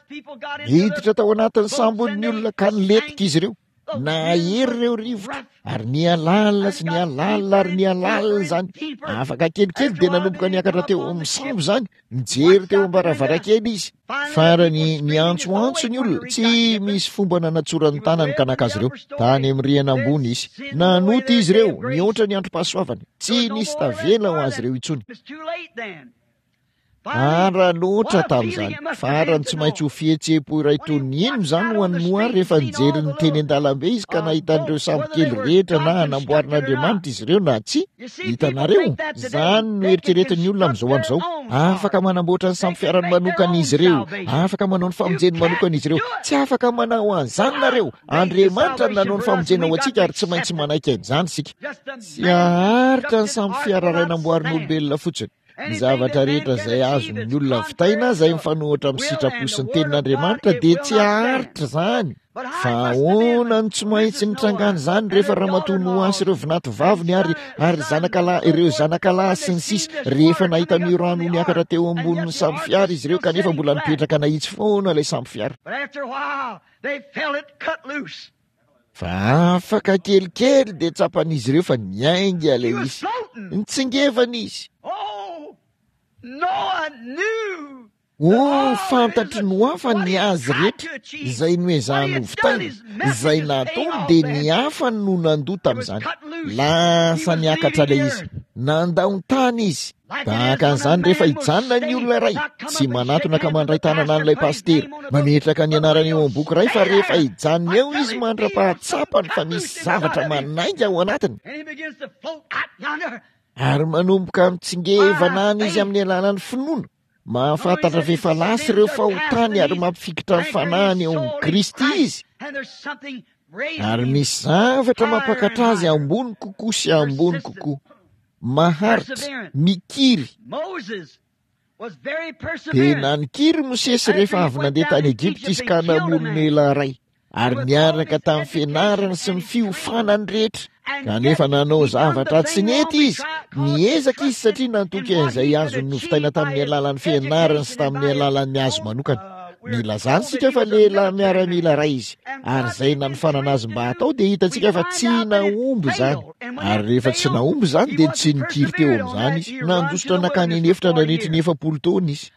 A: Niditra tao anatin'ny sambon'ny olona ka nilentika izy ireo. Nahery ireo rivotra ary nihalalina sy nihalalina ary nihalalina izany. Afaka kelikely dia nanomboka niakatra teo amin'ny sambo izany, nijery teo am-baravarankely izy. Farany niantsoantso ny olona, tsy misy fomba nanatsorany tanany ka naka azy ireo. Tany amin'ny rihana ambony izy. Nanota izy ireo, nihoatra ny androm-pahasoavany. Tsy nisy tavela ho azy ireo intsony. Ara loatra tamin'izany. Farany tsy maintsy ho fihetseham-po iray toy ny inona izany ho an'i Noa rehefa nijery ny teny an-dalambe izy ka nahita an'ireo sambo kely rehetra na namboarin'Andriamanitra izy ireo na tsia. Hitanareo? Izany no eritreretin'ny olona amin'izao andro izao. Afaka manamboatra ny sambo fiarany manokana izy ireo. Afaka manao ny famonjeny manokana izy ireo. Tsy afaka manao an'izany nareo. Andriamanitra no nanao ny famonjena ho antsika ary tsy maintsy manaiky an'izany isika. Tsy haharitra ny sambo fiara iray namboarin'olombelona fotsiny. Ny zavatra rehetra izay azon'ny olona vitaina izay mifanohitra amin'ny sitrapo sy ny tenin'Andriamanitra dia tsy haharitra izany. Fa ahoana no tsy maintsy nitrangan'izany rehefa Ramatoa Noa sy ireo vinato vaviny ary ary zanakalahy ireo zanakalahy sy ny sisa rehefa nahita an'io rano niakatra teo ambonin'ny sambo fiara izy ireo kanefa mbola nipetraka nahitsy foana ilay sambo fiara. Fa afaka kelikely dia tsapan'izy ireo fa niainga ilay izy. Nitsingevana izy. Oh, fantatry Noa fa ny azy rehetra izay noezahany hovitaina, izay nataony dia ny hafa no nandoa tamin'izany. Lasa niakatra ilay izy. Nandao ny tany izy. Tahaka an'izany rehefa hijanona ny olona iray, tsy manatona ka mandray tanana an'ilay pasitera, mametraka ny anarany eo amin'ny boky iray fa rehefa hijanona eo izy mandra-pahatsapany fa misy zavatra manainga ao anatiny, ary manomboka mitsingevana any izy amin'ny alalan'ny finoana, mahafantatra fa efa lasa ireo fahotany ary mampifikitra ny fanahiny eo amin'i Kristy izy. Ary misy zavatra mampakatra azy ambony kokoa sy ambony kokoa. Maharitra, mikiry. Tena nikiry Mosesy rehefa avy nandeha tany Egypta izy ka namono lehilahy iray, ary niaraka tamin'ny fianarany sy ny fiofanany rehetra. Kanefa nanao zavatra tsy nety izy. Niezaka izy satria nantoky an'izay azony novitaina tamin'ny alalan'ny fianarany sy tamin'ny alalan'ny azy manokana. Nilazany isika fa lehilahy miaramila iray izy, ary izay nanofanana azy mba hatao dia hitantsika fa tsy nahomby izany. Ary rehefa tsy nahomby izany dia tsy nikiry teo amin'izany izy. Nandositra nankany an'efitra nandritry ny 40 taona izy.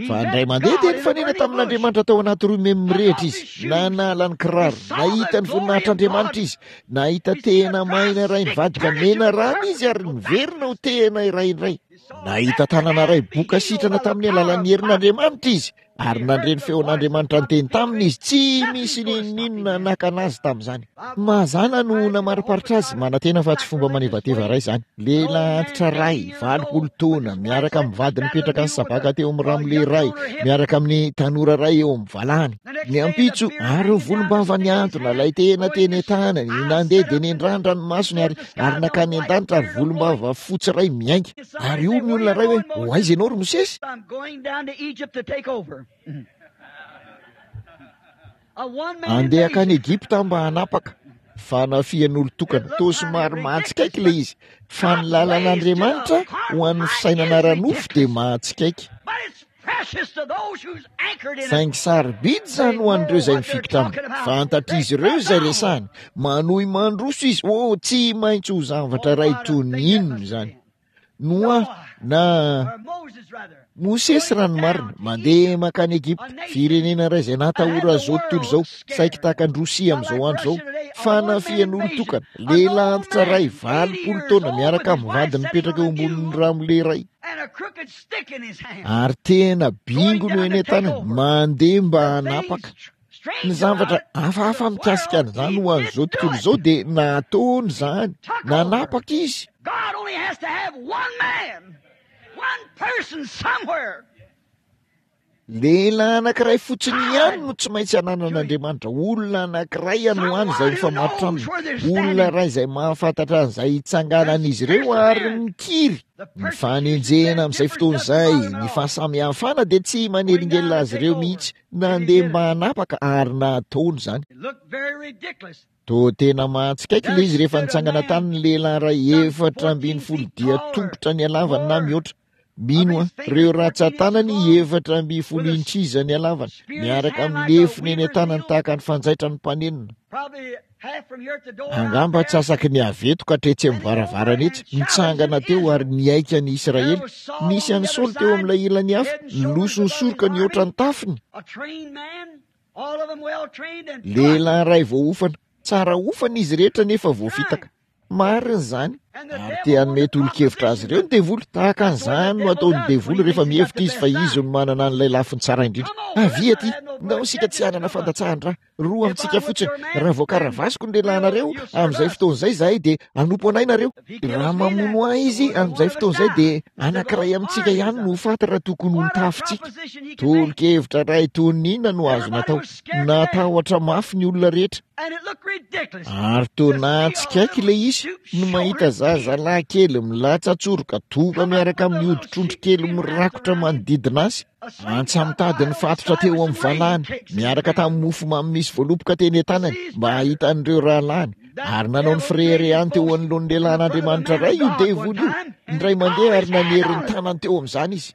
A: Fa indray mandeha dia nifanena tamin'Andriamanitra tao anaty roimemy mirehitra izy. Nanala ny kiraro, nahita ny voninahitr'Andriamanitra izy. Nahita tehina maina iray nivadika menarana izy ary niverina ho tehina iray indray. Nahita tanana iray boka sitrana tamin'ny alalan'ny herin'Andriamanitra izy ary nandre ny feon'Andriamanitra niteny taminy izy. Tsy misy n'inon'inona nakana azy tamin'izany. Mazàna no namariparitra azy, manantena fa tsy fomba manevateva iray izany. Lehilahy antitra iray, 80 taona, miaraka amin'ny vadiny mipetraka ny sabaka teo amin'ny ramole iray, miaraka amin'ny tanora iray eo amin'ny valahany. Ny ampitso, ary ny volombava nihantona, ilay tehina teny an-tanany, nandeha dia nendrandra ny masony ary ary nankany an-danitra ary volombava fotsy iray miainga. Ary hoy ny olona iray hoe, Ho aiza ianao ry Mosesy? Andeha hankany Egypta aho mba hanapaka. Fanafihan'olon-tokana. Toa somary mahatsikaiky ilay izy. Fa ny lalan'Andriamanitra ho an'ny fisainana ara-nofo dia mahatsikaiky. Saingy sarobidy izany ho an'ireo izay mifikitra aminy. Fantatr'izy ireo izay resahiny. Manohy mandroso izy. Oh, tsy maintsy ho zavatra iray toy ny inona izany. Noa, na Mosesy raha ny marina, mandeha mankany Egypta, firenena iray izay natahoran'izao tontolo izao, saiky tahaka an'i Rosia amin'izao andro izao. Fanafihan'olon-tokana, lehilahy antitra iray, 80 taona, miaraka amin'ny vadiny mipetraka eo ambonin'ny ramole iray. Ary tena bingo no eny an-tanany, mandeha mba hanapaka. Ny zavatra hafahafa mikasika an'izany ho an'izao tontolo izao dia nataony izany, nanapaka izy. Lehilahy anankiray fotsiny ihany no tsy maintsy ananan'Andriamanitra, olona anankiray any ho any izay mifamatotra aminy, olona iray izay mahafantatra an'izay hitsanganan'izy ireo ary mikiry. Ny fanenjehana amin'izay fotoana izay, ny fahasamihafana dia tsy manelingelina azy ireo mihitsy, nandeha mba hanapaka ary nataony izany. Toa tena mahatsikaiky ilay izy rehefa nitsangana tany ny lehilahy iray 14 dia tongotra ny halavany na mihoatra. Mino aho, ireo ratsan-tanany 14 inches ny halavany, miaraka amin'ny lefona eny an-tanany tahaka ny fanjaitra ny mpanenona. Angamba antsasaky ny avy eto ka hatretsy amin'ny varavarana etsy, nitsangana teo ary nihaika ny Israely. Nisy an'i Saoly teo amin'ilay ilany hafa, niloso ny soroka nihoatra ny tafiny. Lehilahy iray voaofana, tsara ofana izy rehetra nefa voafitaka. Marina izany. Ary te hanome tolo-kevitra azy ireo ny devoly. Tahaka an'izany no ataon'ny devoly rehefa mihevitra izy fa izy no manana an'ilay lafiny tsara indrindra. Avia aty, ndao isika tsy hanana fandatsahan-dra. Roa amintsika fotsiny. Raha voakaravasiko ny lehilahinareo, amin'izay fotoana izay izahay dia hanompo anay nareo. Raha mamono ahy izy, amin'izay fotoana izay dia anankiray amintsika ihany no ho faty raha tokony ho nitafintsika. Tolo-kevitra iray toy ny inona no azo natao? Natahotra mafy ny olona rehetra. Ary toa nahatsikaiky ilay izy no mahita zazalahy kely milatsa-tsoroka tonga miaraka amin'ny hoditr'ondry kely mirakotra manodidina azy. Antsa-mitady nifatotra teo amin'ny valahany, miaraka tamin'ny mofo mamy misy voaloboka teny an-tanany mba hahita an'ireo rahalahiny. Ary nanao ny fireharehany teo anoloan'ny lehilahin'Andriamanitra iray io devoly io, indray mandeha, ary nanery ny tanany teo amin'izany izy.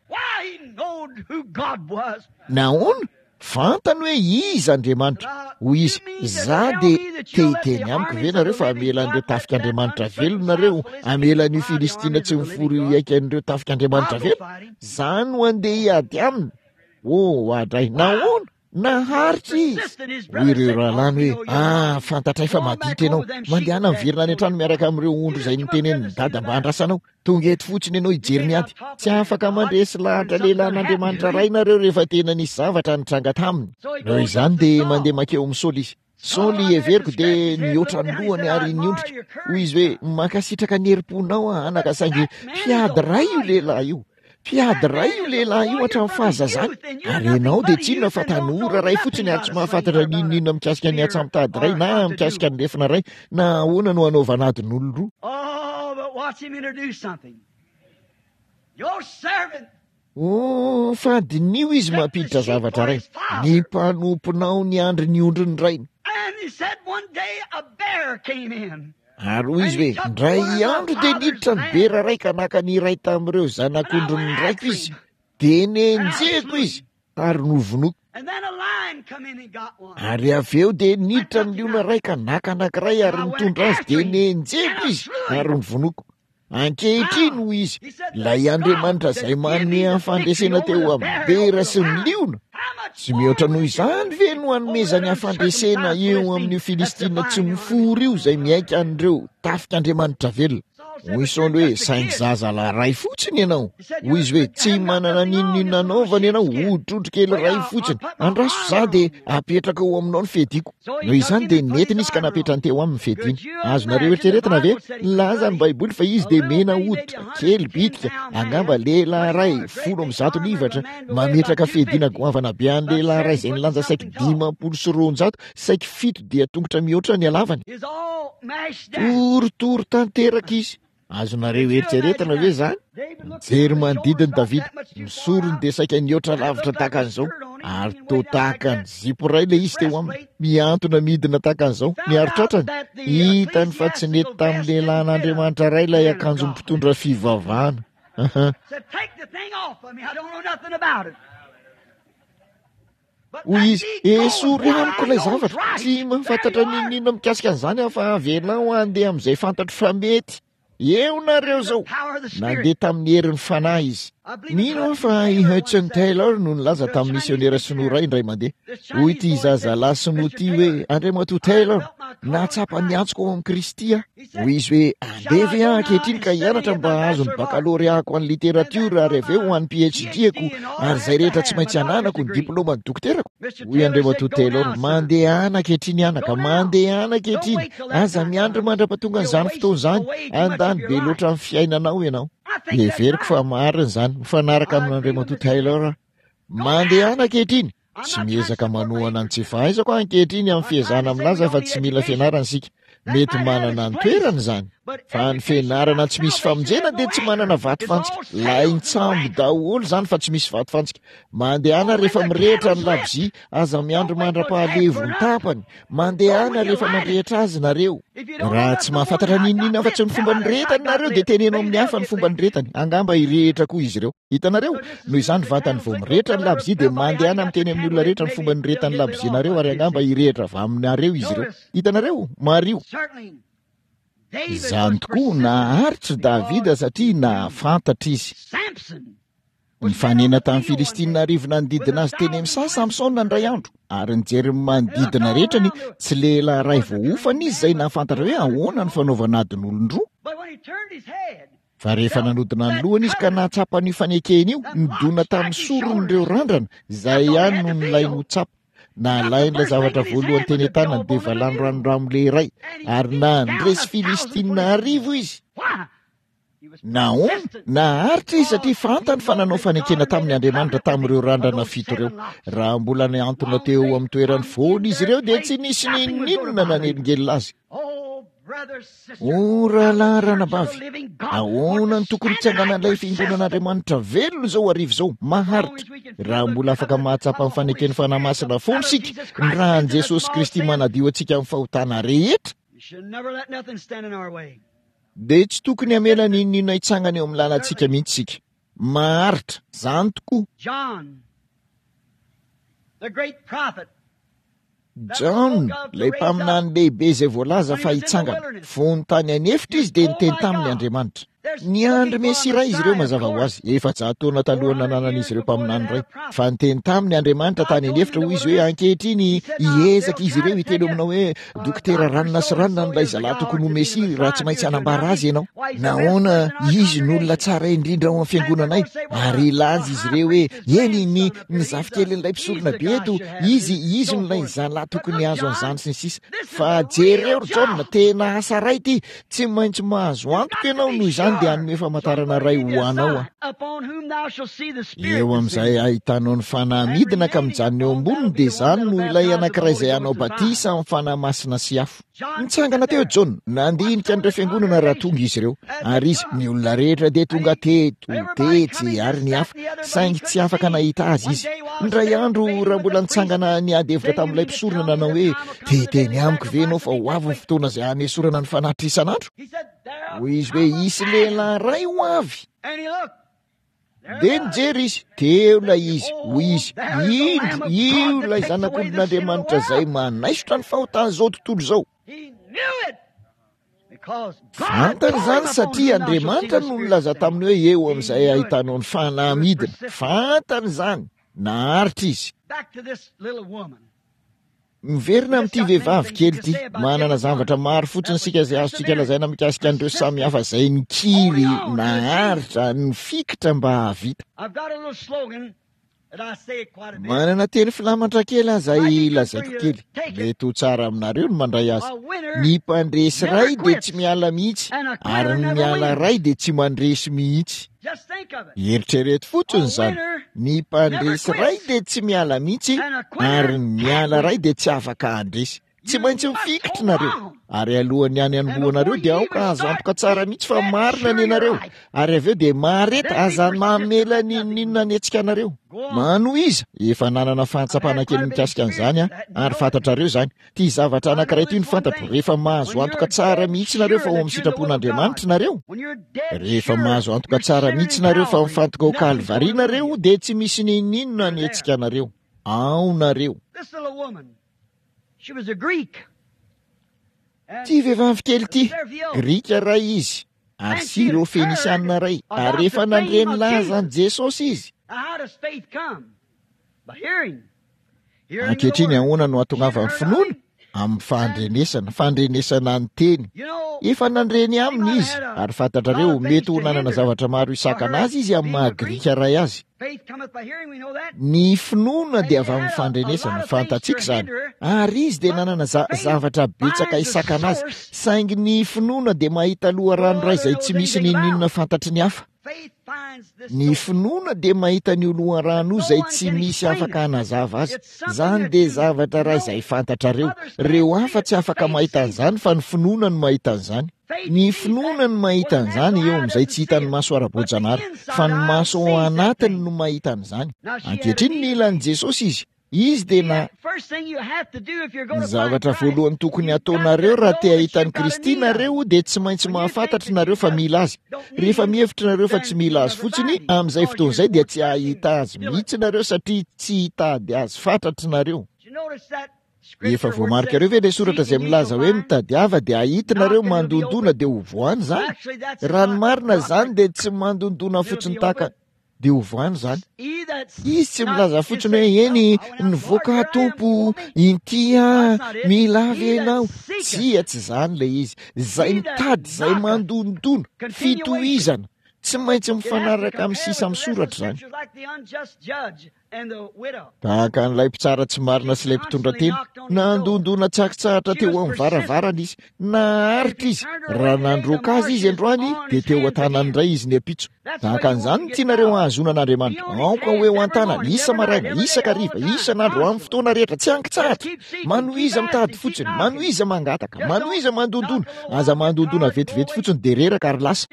A: Nahoana? Fantany hoe iza Andriamanitra. Hoy izy, Za dia te hiteny amiko ve nareo fa hamela an'ireo tafik'Andriamanitra velona nareo, hamela an'io Filistina tsy mifory io hiaika an'ireo tafik'Andriamanitra velona? Za no handeha hiady aminy. Oh, adray, nahoana? Naharitra izy. Hoy ireo rahalahiny hoe, Ah, fantatray fa maditra ianao. Mandehana miverina any an-trano miaraka amin'ireo ondry izay notenenin'i dada mba handrasanao. Tonga eto fotsiny ianao hijery ny ady. Tsy afaka mandresy lahatra lehilahin'Andriamanitra Ray nareo rehefa tena nisy zavatra nitranga taminy. Noho izany dia mandeha mankeo amin'i Saoly izy. Saoly, heveriko, dia nihoatra ny lohany ary niondrika. Hoy izy hoe, Mankasitraka ny herim-ponao aho, anaka, saingy mpiady ray io lehilahy io. Mpiady iray io lehilahy io hatramin'ny fahazazany, ary ianao dia tsy inona fa tanora iray fotsiny ary tsy mahafantatra n'inon'inona mikasika ny antsamotady iray na mikasika ny lefona iray na ahoana no hanaovana adin'olon-droa. Oh, fa diniho izy mampiditra zavatra iray. Ny mpanomponao niandry ny ondrin'ny rainy. Ary hoy izy hoe, Indray andro dia niditra ny bera iray ka naka ny iray tamin'ireo zanak'ondrin'ny raiko izy. Dia nenjehiko izy ary novonoiko. Ary avy eo dia niditra ny liona iray ka naka anankiray ary nitondra azy, dia nenjehiko izy ary novonoiko. Ankehitriny, hoy izy, ilay Andriamanitra izay manome an'ny fandresena teo amin'ny bera sy ny liona, tsy mihoatra noho izany ve no hanomezany ahy fandresena eo amin'io Filistina tsy mifory io izay mihaika an'ireo tafik'Andriamanitra velona? Hoy Saoly hoe, Saingy zazalahy iray fotsiny ianao. Hoy izy hoe, Tsy manana n'inon'inona anaovana ianao, hodrondro kely iray fotsiny. Andraso izaho dia hapetraka eo aminao ny fiadiako. Noho izany dia nentina izy ka napetrany teo aminy ny fiadiany. Azonareo eritreretina ve? Nilaza ny Baiboly fa izy dia mena hoditra, kely bitika, angamba lehilahy iray 110 livatra, mametraka fiadiana goavana be an'ny lehilahy iray izay nilanja saiky 250, saiky fito dian-tongotra mihoatra ny halavany. Torotoro tanteraka izy. Azonareo eritreretina ve izany? Nijery manodidina Davida. Ny sorony dia saika nihoatra lavitra tahaka an'izao, ary toa tahaka ny zipo iray ilay izy teo aminy, mihantona midina tahaka an'izao, niaro tratrany. Hitany fa tsy nety tamin'ny lehilahin'Andriamanitra iray ilay akanjon'ny mpitondra fivavahana. Hoy izy, Esory amiko ilay zavatra. Tsy mahafantatra n'inon'inona mikasika an'izany aho fa avelao handeha amin'izay fantatro fa mety. Eo nareo izao. Nandeha tamin'ny herin'ny Fanahy izy. Mino aho fa i Hudson Taylor no nilaza tamin'ny misionera sinoa iray indray mandeha. Hoy ity zazalahy sinoa ity hoe, Andriamatoa Taylor, nahatsapa ny antsoko ao amin'i Kristy aho. Hoy izy hoe, Andeha ve aho ankehitriny ka hianatra mba hahazo ny bakaloreako an'ny literatiora ary avy eo ho an'ny PhD-ako ary izay rehetra tsy maintsy ananako, ny diplaoman'ny dokoterako? Hoy Andriamatoa Taylor, Mandehana ankehitriny anaka, mandehana ankehitriny. Aza miandry mandra-pahatongan'izany fotoana izany. Handany be loatra amin'ny fiainanao ianao. Heveriko fa marina izany. Mifanaraka amin'Andriamatoa Taylor aho. Mandehana ankehitriny. Tsy miezaka manohana ny tsy fahaizako aho ankehitriny amin'ny fiezahana milaza fa tsy mila fianarana isika. Mety manana ny toerany izany. Fa ny fianarana tsy misy famonjena dia tsy manana vatofantsika. Lain-tsambo daholo izany fa tsy misy vatofantsika. Mandehana rehefa mirehitra ny labozia, aza miandry mandra-pahalevo ny tapany. Mandehana rehefa mandrehitra azy nareo. Raha tsy mahafantatra n'inon'inona afa-tsy ny fomba nirehetany nareo dia teneno amin'ny hafa ny fomba nirehetany. Angamba hirehitra koa izy ireo. Hitanareo? Noho izany vantany vao mirehitra ny labozia dia mandehana miteny amin'ny olona rehetra ny fomba nirehetan'ny labozianareo ary angamba hirehitra avy aminareo izy ireo. Hitanareo? Mariho. Izany tokoa, naharitra Davida satria nahafantatra izy. Nifanena tamin'ny Filistina arivo nanodidina azy teny amin'ny saha Samsona indray andro, ary nijery ny manodidina rehetra ny tsy lehilahy iray voaofana izy izay nahafantatra hoe ahoana ny fanaovana adin'olon-droa. Fa rehefa nanodina ny lohany izy ka nahatsapa an'io fanekena io, nidona tamin'ny sorony ireo randrana, izay ihany no nilainy ho tsapa. Nalain'ilay zavatra voalohany teny an-tanany dia valanoranoramo iray, ary nandresy Filistina arivo izy. Nahoana? Naharitra izy satria fantany fa nanao fanekena taminy Andriamanitra tamin'ireo randrana fito ireo. Raha mbola nihantona teo amin'ny toerany foana izy ireo dia tsy nisy n'inon'inona nanelingelina azy. O rahalahy ranabavy, ahoana no tokony hitsanganan'ilay fiangonan'Andriamanitra velona izao hariva izao, maharitra, raha mbola afaka mahatsapa ny faneken'ny Fanahy Masina foana isika, ny ràn'i Jesosy Kristy manadio antsika amin'ny fahotana rehetra? Dia tsy tokony hamela n'inon'inona hitsangana eo amin'ny lalantsika mihitsy isika. Maharitra. Izany tokoa. Jaona, ilay mpaminany lehibe izay voalaza fa hitsangana. Fony tany an'efitra izy dia niteny taminy Andriamanitra. Niandry Mesia iray izy ireo mazava ho azy, 400 taona talohan'ny nananan'izy ireo mpaminany iray. Fa niteny taminy Andriamanitra tany an'efitra, hoy izy hoe, Ankehitriny hiezaka izy ireo hiteny aminao hoe, Dokotera ranona sy ranona an'ilay zalahy tokony ho Mesia raha tsy maintsy hanambara azy ianao. Nahoana, izy no olona tsara indrindra ao amin'ny fiangonanay. Ary hilaza izy ireo hoe, Eny, ny, ny zafikelin'ilay mpisorona be eto, izy, izy no ilay zalahy tokony hahazo an'izany sy ny sisa. Fa jereo ry Jaona, tena asa ray ity. Tsy maintsy mahazo antoka ianao noho izany. dia hanome famantarana iray ho anao Aho. Eo amin'izay ahitanao ny Fanahy midina ka mijanona eo amboniny, dia izany no ilay anankiray izay hanao batisa amin'ny Fanahy Masina sy afo. Nitsangana teo Jaona, nandinika an'ireo fiangonana raha tonga izy ireo. Ary izy, ny olona rehetra dia tonga teto, tetsy, ary ny hafa, saingy tsy afaka nahita azy izy. Indray andro, raha mbola nitsangana niady hevitra tamin'ilay mpisorona nanao hoe, Te hiteny amiko ve ianao fa ho avy ny fotoana izay hanesorana ny fanatitra isan'andro? Hoy izy hoe, Hisy lehilahy iray ho avy. Dia nijery izy, teo ilay izy, hoy izy, Indro, io ilay Zanak'ondrin'Andriamanitra izay manaisotra ny fahotan'izao tontolo izao. Fantany izany satria Andriamanitra no nilaza taminy hoe eo amin'izay ahitanao ny fanahy midina. Fantany izany, naharitra izy. Miverina amin'ity vehivavy kely ity. Manana zavatra maro fotsiny isika izay azontsika lazaina mikasika an'ireo samy hafa izay nikiry, naharitra, nifikitra mba hahavita. Manana teny filamatra kely aho izay lazaiko kely. Mety ho tsara aminareo ny mandray azy. Ny mpandresy iray dia tsy miala mihitsy, ary ny miala iray dia tsy mandresy mihitsy. Eritrereto fotsiny izany. Ny mpandresy iray dia tsy miala mihitsy, ary ny miala iray dia tsy afaka handresy. Tsy maintsy mifikitra nareo. Ary alohan'ny any hanombohanareo dia aoka azo antoka tsara mihitsy fa marina ny anareo. Ary avy eo dia mahareta, aza mamela n'inon'inona hanetsika anareo. Manohiza, efa nanana fahatsapana kely mikasika an'izany aho, ary fantatrareo izany. Ity zavatra anankiray ity no fantatro, rehefa mahazo antoka tsara mihitsy nareo fa ao amin'ny sitrapon'Andriamanitra nareo, rehefa mahazo antoka tsara mihitsy nareo fa mifantoka ao Kalvary nareo, dia tsy misy n'inon'inona hanetsika anareo. Ao nareo. Ity vehivavy kely ity, Grika iray izy, ary Syro-Fenisiana iray, ary efa nandre ny lazan'i Jesosy izy. Ankehitriny ahoana no hahatongavan'ny finoana? Amin'ny fandrenesana, fandrenesana ny teny. Efa nandre ny aminy izy, ary fantatrareo, mety ho nanana zavatra maro hisakana azy izy amin'ny maha-Grika iray azy. Ny finoana dia avy amin'ny fandrenesana, fantatsika izany. Ary izy dia nanana za, zavatra betsaka hisakana azy, saingy ny finoana dia mahita loharano iray izay tsy misy n'inon'inona fantatry ny hafa. Ny finoana dia mahita an'io loharano io izay tsy misy afaka hanazava azy. Izany dia zavatra iray izay fantatrareo. Ireo hafa tsy afaka mahita an'izany fa ny finoana no mahita an'izany. Ny finoana no mahita an'izany eo amin'izay tsy hitan'ny maso ara-boajanahary, fa ny maso ao anatiny no mahita an'izany. Ankehitriny nila an'i Jesosy izy. Izy dia na. Ny zavatra voalohany tokony hataonareo raha te hahita an'i Kristy nareo dia tsy maintsy mahafantatra nareo fa mila Azy. Rehefa mihevitra nareo fa tsy mila Azy fotsiny, amin'izay fotoana izay dia tsy hahita Azy mihitsy nareo satria tsy hitady Azy fatratra nareo. Efa voamarikareo ve ilay soratra izay milaza hoe mitadiava dia hahita nareo, mandondona dia ho voany izany? Raha ny marina izany dia tsy mandondona fotsiny tahaka. dia ovany izany. Izy tsy milaza fotsiny hoe eny, nivoaka aho Tompo, inty aho, mila ahy ve ianao? Tsia, tsy izany ilay izy. Izay mitady, izay mandondona, fitohizana, tsy maintsy mifanaraka amin'ny sisa amin'ny soratra izany. Tahaka an'ilay mpitsara tsy marina sy ilay mpitondra tena, nandondona tsy ankitsahatra teo amin'ny varavarana izy. Naharitra izy. Raha nandroaka azy izy androany, dia teo an-tanany indray izy ny ampitso. Tahaka an'izany no tianareo hahazoana an'Andriamanitra. Aoka ho eo an-tanany, isa-maraina, isan-kariva, isan'andro, amin'ny fotoana rehetra, tsy ankitsahatra. Manohiza mitady fotsiny, manohiza mangataka, manohiza mandondona. Aza mandondona vetivety fotsiny dia reraka ary lasa.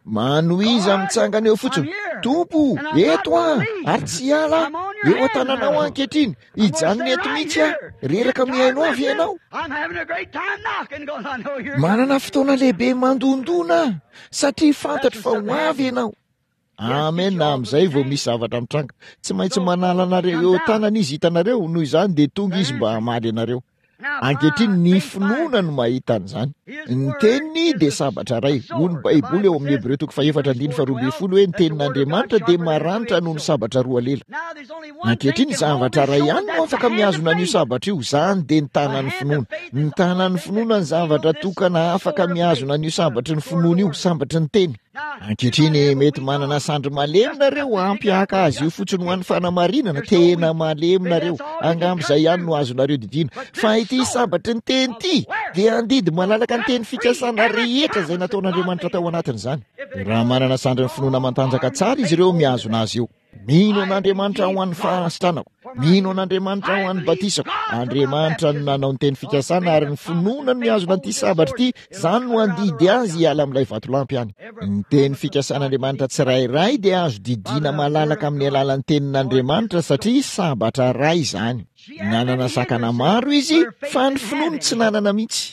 A: Manohiza mitsangana eo fotsiny. Tompo, eto aho, ary tsy hiala aho. Eo an-tananao aho ankehitriny. Hijanona eto mihitsy aho. Reraka mihaino ahy ve ianao? Manana fotoana lehibe mandondona aho, satria fantatro fa ho avy ianao. Amen, amin'izay vao misy zavatra mitranga. Tsy maintsy manala anareo eo an-tanana izy, hitanareo, noho izany dia tonga izy mba hamaly anareo. Ankehitriny, ny finoana no mahita an'izany. Ny teniny dia sabatra iray. Hoy ny Baiboly ao amin'ny Hebreo toko fahefatra andininy faharoa ambin'ny folo hoe ny tenin'Andriamanitra dia maranitra noho ny sabatra roa lela. Ankehitriny, zavatra iray ihany no afaka mihazona an'io sabatra io, izany dia ny tanan'ny finoana. Ny tanan'ny finoana ny zavatra tokana afaka mihazona an'io sabatry ny finoana io, sabatry ny teny. Ankehitriny, mety manana sandry malemy nareo ampy haka azy io fotsiny ho an'ny fanamarinana, tena malemy nareo, angamba izay ihany no azonareo didiana. Fa ity sabatry ny teny ity dia handidy malalaka ny teny fikasana rehetra izay nataon'Andriamanitra tao anatin'izany. Raha manana sandrin'ny finoana matanjaka tsara izy ireo mihazona azy io. Mino an'Andriamanitra ho an'ny fahasitranako. Mino an'Andriamanitra ho an'ny batisako. Andriamanitra no nanao ny teny fikasana ary ny finoana no mihazona an'ity sabatra ity. Izany no handidy azy hiala amin'ilay vatolampy any. Ny teny fikasan'Andriamanitra tsirairay dia azo didiana malalaka amin'ny alalan'ny tenin'Andriamanitra satria sabatra iray izany. Nanana sakana maro izy, fa ny finoany tsy nanana mihitsy.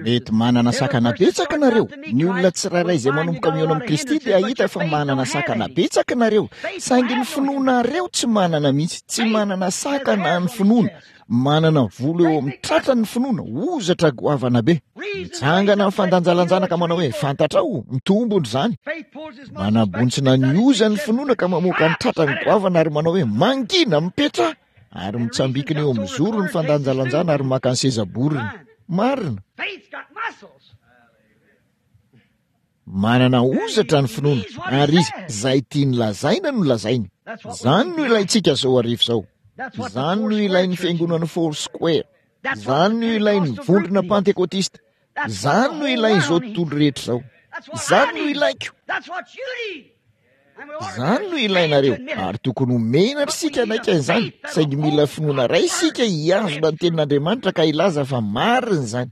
A: Mety manana sakana betsaka nareo. Ny olona tsirairay izay manomboka mihaona amin'i Kristy dia hahita fa manana sakana betsaka nareo, saingy ny finoanareo tsy manana mihitsy. Tsy manana sakana ny finoana. Manana volo eo amin'ny tratrany ny finoana, hozatra goavana be. Mitsangana amin'ny fandanjalanjana ka manao hoe, Fantatrao, mitombona izany. Manabontsina ny ozany ny finoana ka mamoaka ny tratrany goavana ary manao hoe, Mangina, mipetraha! Ary mitsambikina eo amin'ny zoro ny fandanjalanjana ary maka ny seza boriny. Marina. Manana hozatra ny finoana, ary izy, izay tiany lazaina no lazainy. Izany no ilaintsika izao hariva izao. Izany no ilain'ny fiangonan'ny Foursquare. Izany no ilain'ny vondrona Pantekotista. Izany no ilain'izao tontolo rehetra izao. Izany no ilaiko. Izany no ilainareo, ary tokony ho menatra isika hanaiky an'izany, saingy mila finoana iray isika hihazona ny tenin'Andriamanitra ka hilaza fa marina izany.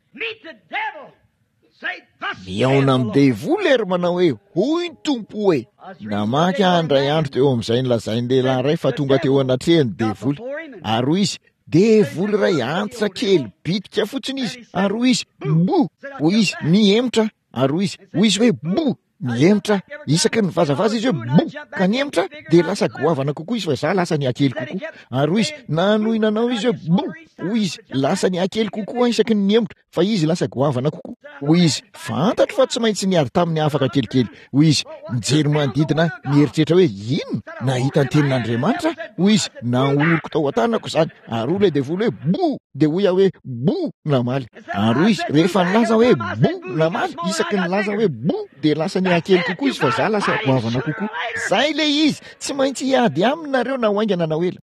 A: Mihaona amin'ny devoly ary manao hoe, Hoy ny Tompo hoe. Namaky aho indray andro teo amin'izay nolazain'ny lehilahy iray fa tonga teo anatrehany ny devoly. Ary hoy izy, Devoly iray antitra kely bitika fotsiny izy. Ary hoy izy, Bo! Hoy izy, Nihemotra. Ary hoy izy, hoy izy hoe, Bo! Nihemotra. Isaky ny nivazavaza izy hoe, Bo! Ka nihemotra, dia lasa goavana kokoa izy fa izaho lasa nihakely kokoa. Ary hoy izy, Nanohy nanao izy hoe, Bo! Hoy izy, Lasa nihakely kokoa aho isaky ny nihemotra. Fa izy lasa goavana kokoa. Hoy izy, Fantatro fa tsy maintsy niady taminy afaka kelikely. Hoy izy, Nijery manodidina aho, nieritreritra hoe, Inona? Nahita ny tenin'Andriamanitra aho. Hoy izy, Nahoriko tao an-tanako izany. Ary hoy ilay devoly hoe, Bo! Dia hoy aho hoe, Bo! Namaly. Ary hoy izy, Rehefa nilaza hoe, Bo! Namaly. Isaky ny nilaza hoe, Bo! Dia lasa nihakely kokoa izy fa izaho lasa goavana kokoa. Izay ilay izy. Tsy maintsy hiady aminy nareo na ho haingana na ho ela.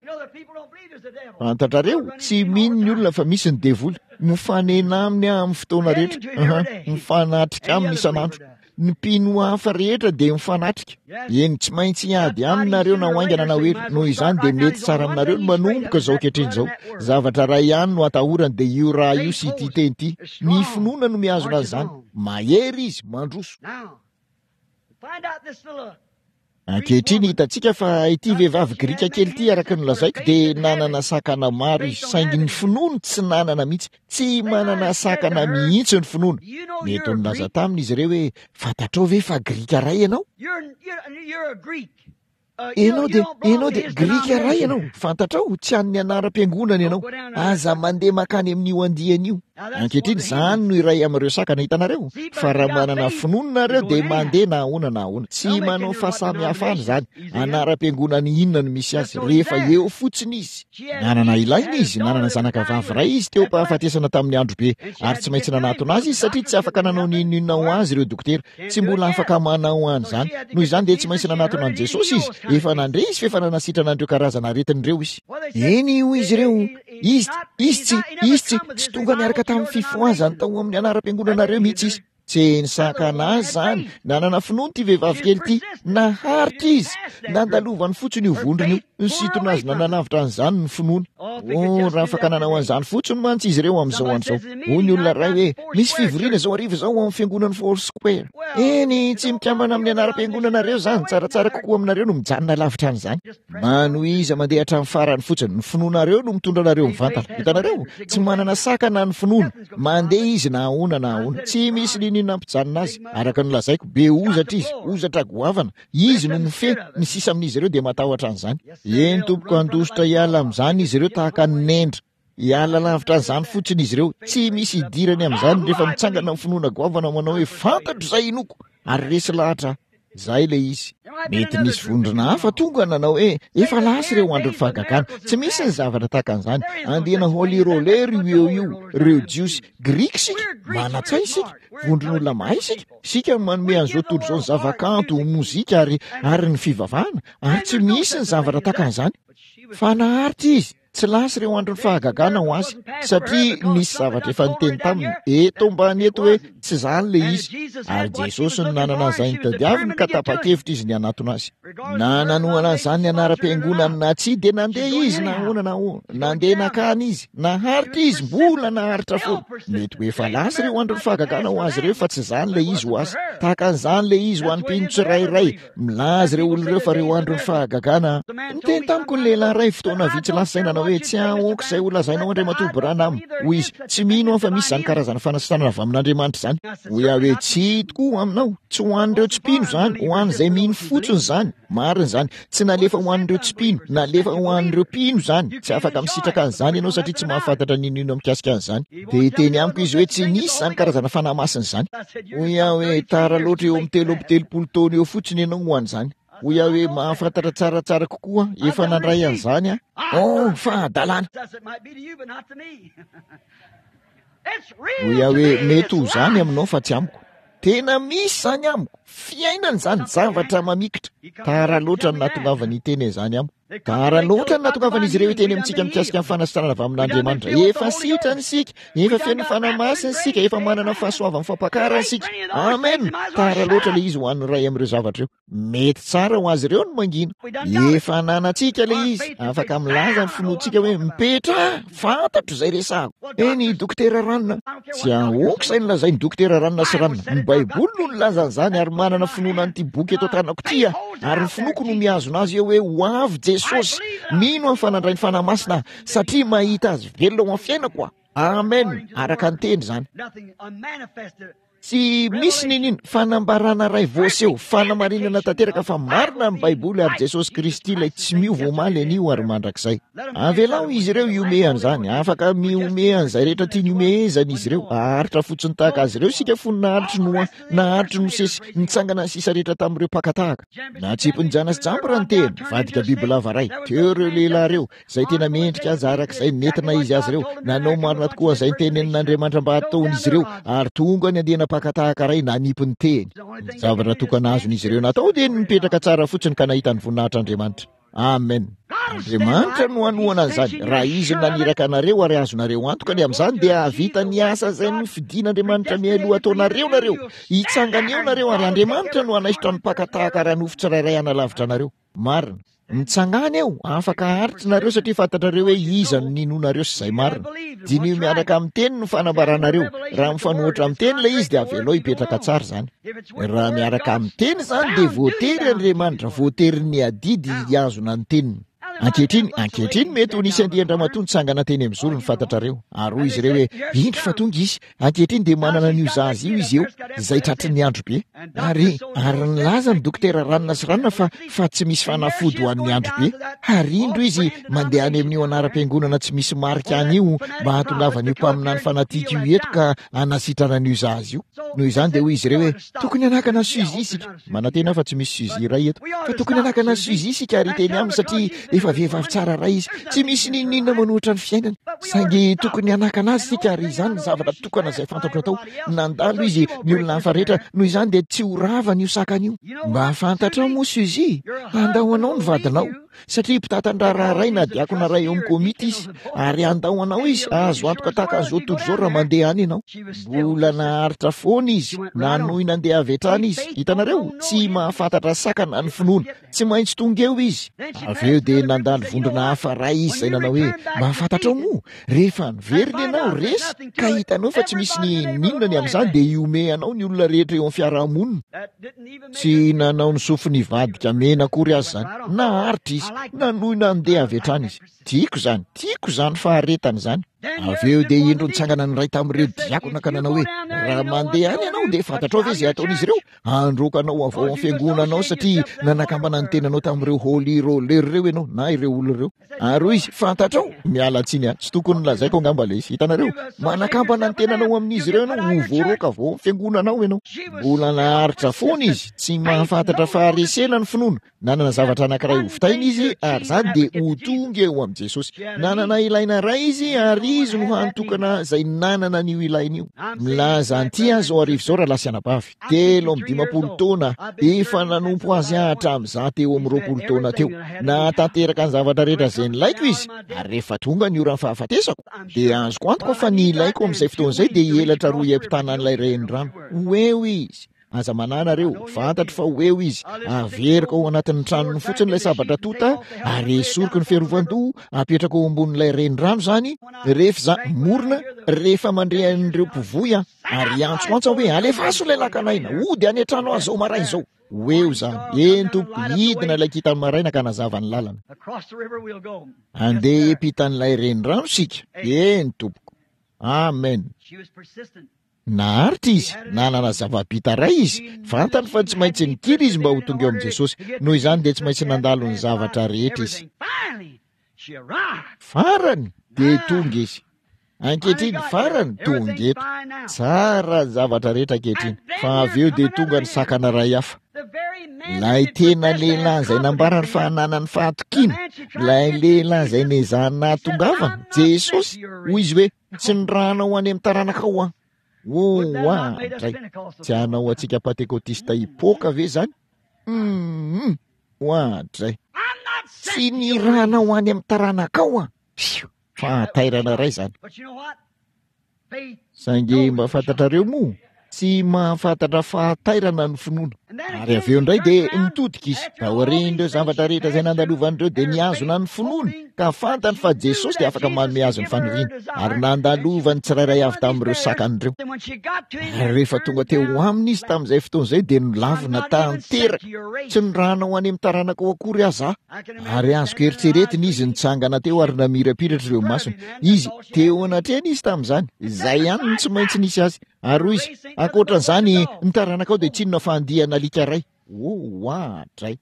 A: Fantatrareo, tsy mino ny olona fa misy ny devoly. Mifanena aminy aho amin'ny fotoana rehetra. Aha, mifanatrika aminy isan'andro. Ny mpino hafa rehetra dia mifanatrika. Eny, tsy maintsy hiady aminy nareo na ho haingana na ho ela. Noho izany dia mety tsara aminareo ny manomboka izao ankehitriny izao. Zavatra iray ihany no atahorany dia io raha io sy ity teny ity. Ny finoana no mihazona an'izany. Mahery izy, mandroso. Ankehitriny hitantsika fa ity vehivavy grika kely ity, araka ny nolazaiko, dia nanana sakana maro izy, saingy ny finoany tsy nanana mihitsy. Tsy manana sakana mihitsy ny finoana. Mety ho nilaza taminy izy ireo hoe, Fantatrao ve fa grika iray ianao? Ianao dia, ianao dia grika iray ianao. Fantatrao, tsy an'ny anaram-piangonana ianao. Aza mandeha mankany amin'io andiany io. Ankehitriny, izany no iray amin'ireo sakana hitanareo, fa raha manana finoana nareo dia mandeha na ahoana na ahoana. Tsy manao fahasamihafana izany, anaram-piangonana inona no misy azy, rehefa eo fotsiny izy. Nanana ilaina izy, nanana zanaka vavy iray izy teo am-pahafatesana tamin'ny andro be, ary tsy maintsy nanatona azy izy satria tsy afaka nanao n'inon'inona ho azy ireo dokotera. Tsy mbola afaka manao an'izany. Noho izany dia tsy maintsy nanatona an'i Jesosy izy. Efa nandre izy fa efa nanasitrana an'ireo karazana aretina ireo izy. Eny, hoy izy ireo, Izy, izy tsy, izy tsy, tsy tonga niaraka tamin'ny fifohazany tao amin'ny anaram-piangonanareo mihitsy izy. Tsy nisakana azy izany. Nanana finoana ity vehivavy kely ity. Naharitra izy. Nandalovany fotsiny io vondrona io. Nisintona azy nanalavitra an'izany ny finoany. Oh, raha afaka nanao an'izany fotsiny mantsy izy ireo amin'izao andro izao. Hoy ny olona iray hoe, Misy fivoriana izao hariva izao ao amin'ny fiangonan'ny Foursquare. Eny, tsy mikambana amin'ny anaram-piangonanareo izany. Tsaratsara kokoa aminareo no mijanona lavitra an'izany. Manohiza mandeha hatramin'ny farany fotsiny. Ny finoanareo no mitondra anareo mivantana. Hitanareo? Tsy manana sakana ny finoana. Mandeha izy na ahoana na ahoana. Tsy misy n'inon'inona hampijanona azy. Araka ny nolazaiko, be hozatra izy, hozatra goavana. Izy no mifehy, ny sisa amin'izy ireo dia matahotra an'izany. Eny tompoko, handositra hiala amin'izany izy ireo tahaka ny nendra. Hiala lavitra an'izany fotsiny izy ireo. Tsy misy hidirany amin'izany rehefa mitsangana ny finoana goavana manao hoe fantatro izay inoako ary resy lahatra aho. Izay ilay izy. Mety nisy vondrona hafa tonga nanao hoe, Efa lasa ireo andron'ny fahagagana. Tsy misy ny zavatra tahaka an'izany. Andiana holy roller io eo io. Ireo Jiosy. Grika isika. Manan-tsaina isika. Vondron'olona mahay isika. Isika no manome an'izao tontolo izao ny zavakanto, mozika ary, ary ny fivavahana. Ary tsy misy ny zavatra tahaka an'izany. Fa naharitra izy. Tsy lasa ireo andron'ny fahagagana ho azy, satria nisy zavatra efa niteny taminy eto ambany eto hoe tsy izany ilay izy. Ary Jesosy no nanana an'izay notadiaviny ka tapa-kevitra izy ny hanatona azy. Na nanohana an'izany ny anaram-piangonany na tsia dia nandeha izy na ahoana na ahoana. Nandeha nankany izy. Naharitra izy, mbola naharitra foana. Mety ho efa lasa ireo andron'ny fahagagana ho azy ireo fa tsy izany ilay izy ho azy. Tahaka an'izany ilay izy ho an'ny mpino tsirairay. Milaza ireo olona ireo fa ireo andron'ny fahagagana. Niteny tamiko ny lehilahy iray fotoana vitsy lasa izay nanao hoe, Tsy ahoako izay ho lazainao Andriamatoa Branham. Hoy izy, Tsy mino aho fa misy izany karazana fanasitranana avy amin'Andriamanitra izany. Hoy aho hoe, Tsia tokoa aminao. Tsy ho an'ireo tsy mpino izany, ho an'izay mino fotsiny izany. Marina izany. Tsy nalefa ho an'ireo tsy mpino, nalefa ho an'ireo mpino izany. Tsy afaka misitraka an'izany ianao satria tsy mahafantatra n'inon'inona mikasika an'izany. Dia hiteny amiko izy hoe tsy nisy izany karazana fanahy masina izany. Hoy aho hoe, Tara loatra eo amin'ny 33 taona eo fotsiny ianao ho an'izany. Hoy aho hoe, Mahafantatra tsaratsara kokoa aho, efa nandray an'izany aho. Oh, fahadalana! Hoy aho hoe, Mety ho izany aminao fa tsy amiko. Tena misy izany amiko. Fiainana izany, zavatra mamikitra. Tara loatra ny nahatongavany hiteny an'izany amiko. Tara loatra ny nahatongavan'izy ireo hiteny amintsika mikasika ny fanasitranana avy amin'Andriamanitra. Efa sitrana isika, efa feno ny Fanahy Masina isika, efa manana ny fahasoavan'ny fampakarana isika. Amen! Tara loatra ilay izy ho an'ny iray amin'ireo zavatra ireo. Mety tsara ho azy ireo ny mangina. Efa ananantsika ilay izy. Afaka milaza ny finoantsika hoe, Mipetraha! Fantatro izay resahako. Eny, Dokotera Ranona. Tsy ahoako izay nolazain'i Dokotera Ranona sy Ranona. Ny Baiboly no nilaza an'izany ary manana finoana an'ity boky eto an-tanako ity aho. Ary ny finoako no mihazona azy eo hoe ho avy Jesosy. Mino aho fa nandray ny Fanahy Masina aho, satria mahita Azy velona ao amin'ny fiainako aho. Amen. Araka ny Teny izany. Tsy misy n'inon'inona, fanambarana iray voaseho, fanamarinana tanteraka fa marina ny Baiboly ary Jesosy Kristy ilay tsy miova omaly, anio ary mandrakizay. Avelao izy ireo hihomehy an'izany, afaka mihomehy an'izay rehetra tiany hihomehezana izy ireo, haharitra fotsiny tahaka azy ireo isika fony naharitry Noa, naharitry Mosesy, nitsangana ny sisa rehetra tamin'ireo mpaka tahaka. Natsipin'i Jana sy Jambra ny tehiny, nivadika bibilava iray, teo ireo lehilahy ireo, Izay tena mendrika aza araka izay nentina izy azy ireo. Nanao marina tokoa izay notenenin'Andriamanitra mba hataon'izy ireo, ary tonga ny andiana mpaka tahaka iray nanipy ny tehiny. Ny zavatra tokana azon'izy ireo natao dia ny nipetraka tsara fotsiny ka nahita ny voninahitr'Andriamanitra. Amen. Andriamanitra no hanohana an'izany. Raha Izy no naniraka anareo ary azonareo antoka ny amin'izany, dia hahavita ny asa izay nofidin'Andriamanitra mialoha ataonareo nareo. Hitsangana eo nareo ary Andriamanitra no hanaisotra ny mpaka tahaka ara-nofo tsirairay hanalavitra anareo. Marina. Mitsangàna eo, afaka haharitra nareo satria fantatrareo hoe iza no ninoanareo sy izay marina. Diniho miaraka amin'ny teny ny fanambaranareo. Raha mifanohitra amin'ny teny ilay izy dia avelao hipetraka tsara izany. Raha miaraka amin'ny teny izany dia voatery Andriamanitra, voaterin'ny adidy hihazona ny teniny. Ankehitriny, ankehitriny mety ho nisy andian-dramatoa nitsangana teny amin'ny zorony fantatrareo. Ary hoy izy ireo hoe, Indro fa tonga izy. Ankehitriny dia manana an'io zaza io izy eo, izay tratry ny andro be. Ary, ary nilaza ny dokotera ranona sy ranona fa, fa tsy misy fanafody ho an'ny andro be. Ary indro izy mandeha any amin'io anaram-piangonana tsy misy marika any io mba hahatongavan'io mpaminany fanatika io eto ka hanasitrana an'io zaza io. Noho izany dia hoy izy ireo hoe, Tokony hanakana an'i Suzy isika. Manantena aho fa tsy misy Suzy iray eto. Fa tokony hanakana an'i Suzy isika ary hiteny aminy satria efa vehivavy tsara iray izy. Tsy misy n'inon'inona manohitra ny fiainany. Saingy tokony hanakana azy isika ary izany ny zavatra tokana izay fantatro atao. Nandalo izy, ny olona hafa rehetra, noho izany dia tsy ho ravany io sakana io. Mba fantatrao moa Suzy? Handao anao ny vadinao. Satria mpitantan-draharaha iray na diakona iray eo amin'ny komity izy, ary handao anao izy, azo antoka tahaka an'izao tontolo izao raha mandeha any ianao. Mbola naharitra foana izy, nanohy nandeha avy hatrany izy. Hitanareo, tsy mahafantatra sakana ny finoana. Tsy maintsy tonga eo izy. Avy eo dia nandalo vondrona hafa iray izy izay nanao hoe, Mba fantatrao moa, rehefa niverina ianao, resy, ka hitanao fa tsy misy n'inon'inona ny amin'izany, dia hihomehy anao ny olona rehetra eo amin'ny fiarahamonina. Tsy nanao ny sofiny hivadika mena akory aza izany. Naharitra izy. Nanohy nandeha avy hatrany izy. Tiako izany. Tiako izany faharetana izany. Avy eo dia indro nitsangana ny iray tamin'ireo diakona ka nanao hoe, Raha mandeha any ianao dia fantatrao ve izay hataon'izy ireo? Handroaka anao avy ao amin'ny fiangonanao satria nanakambana ny tenanao tamin'ireo holy roller ireo ianao, na ireo olona ireo. Ary hoy izy, Fantatrao, miala tsiny aho, tsy tokony nolazaiko angamba ilay izy. Hitanareo, manakambana ny tenanao amin'izy ireo ianao, ho voaroaka avy ao amin'ny fiangonanao ianao. Mbola naharitra foana izy, tsy mahafantatra faharesena ny finoana. Nanana zavatra anankiray ho vitaina izy, ary izany dia ho tonga eo amin'i Jesosy. Nanana ilaina iray izy, ary izy no hany tokana izay nanana an'io ilaina io. Milaza an'ity aho izao hariva izao, rahalahy sy anabavy. 53 taona, efa nanompo azy aho hatramin'izaho teo amin'ny 20 taona teo. Nahatanteraka ny zavatra rehetra izay nilaiko izy, ary rehefa tonga ny oran'ny fahafatesako, dia azoko antoka fa ny ilaiko amin'izay fotoana izay dia hielatra roa hiampitana an'ilay renirano. Ho eo izy. Aza manahy nareo, fantatro fa ho eo izy. Averiko ao anatin'ny tranony fotsiny ilay sabatra tonta, ary esoriko ny fiarovan-doha, apetrako eo ambonin'ilay renirano izany, rehefa izaho morona, rehefa mandre an'ireo mpivoy aho, ary hiantsoantso aho hoe, Alefaso ilay lakan'aina, hody any an-trano aho izao maraina izao. Ho eo izany. Eny, tompoko, hidina ilay kintan'ny maraina ka hanazava ny lalana. Handeha hiampitan'ilay renirano isika. Eny, tompoko. Amen. Naharitra izy, nanana zava-bita iray izy, fantany fa tsy maintsy nikiry izy mba ho tonga eo amin'i Jesosy, noho izany dia tsy maintsy nandalo ny zavatra rehetra izy. Farany dia tonga izy. Ankehitriny, farany, tonga eto. Tsara ny zavatra rehetra ankehitriny, fa avy eo dia tonga ny sakana iray hafa. Ilay tena lehilahy izay nambarany fa hananany fahatokiana, ilay lehilahy izay nezahany nahatongavana, Jesosy, hoy izy hoe, Tsy nirahana ho any amin'ny taranakao aho. Oh, oadray! Tsy hanao antsika Pantekotista hipoaka ve izany? Hum, oadray! Tsy nirahana ho any amin'ny taranakao aho. Pio! Fahatairana iray izany. Saingy mba fantatrareo moa, tsy mahafantatra fahatairana ny finoana. Ary avy eo indray dia nitodika izy. Taorian'ireo zavatra rehetra izay nandalovany ireo dia nihazona ny finoany ka fantany fa Jesosy dia afaka manome azy ny faniriany. Ary nandalovany tsirairay avy tamin'ireo sakany ireo. Ary rehefa tonga teo aminy izy tamin'izay fotoana izay dia nolavina tanteraka. Tsy nirahana ho any amin'ny taranakao akory aza aho. Ary azoko eritreretina izy nitsangana teo ary namirapiratra ireo masony. Izy, teo anatrehany izy tamin'izany. Izay ihany no tsy maintsy nisy azy. Ary hoy izy, Ankoatra an'izany, ny taranakao dia tsy inona fa andiana alika iray. Oh, oadray!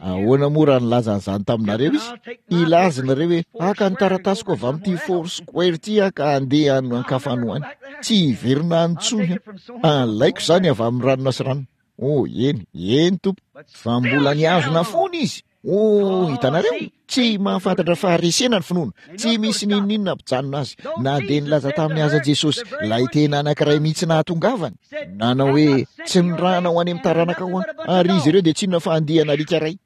A: Ahoana moa raha nilaza an'izany taminareo izy? Hilaza nareo hoe, Haka ny taratasiko avy amin'ity Four Square ity aho ka handeha any an-kafa any ho any. Tsy hiverina any intsony aho. Alaiko izany avy amin'ny ranona sy ranona. Oh, eny, eny, tompoko. Fa mbola nihazona foana izy. Oh, hitanareo? Tsy mahafantatra faharesena ny finoana. Tsy misy n'inon'inona hampijanona azy. Na dia nilaza taminy aza Jesosy, ilay tena anankiray mihitsy nahatongavany. Nanao hoe, Tsy nirahana ho any amin'ny taranakao aho. Ary izy ireo dia tsy inona fa andiana alika iray.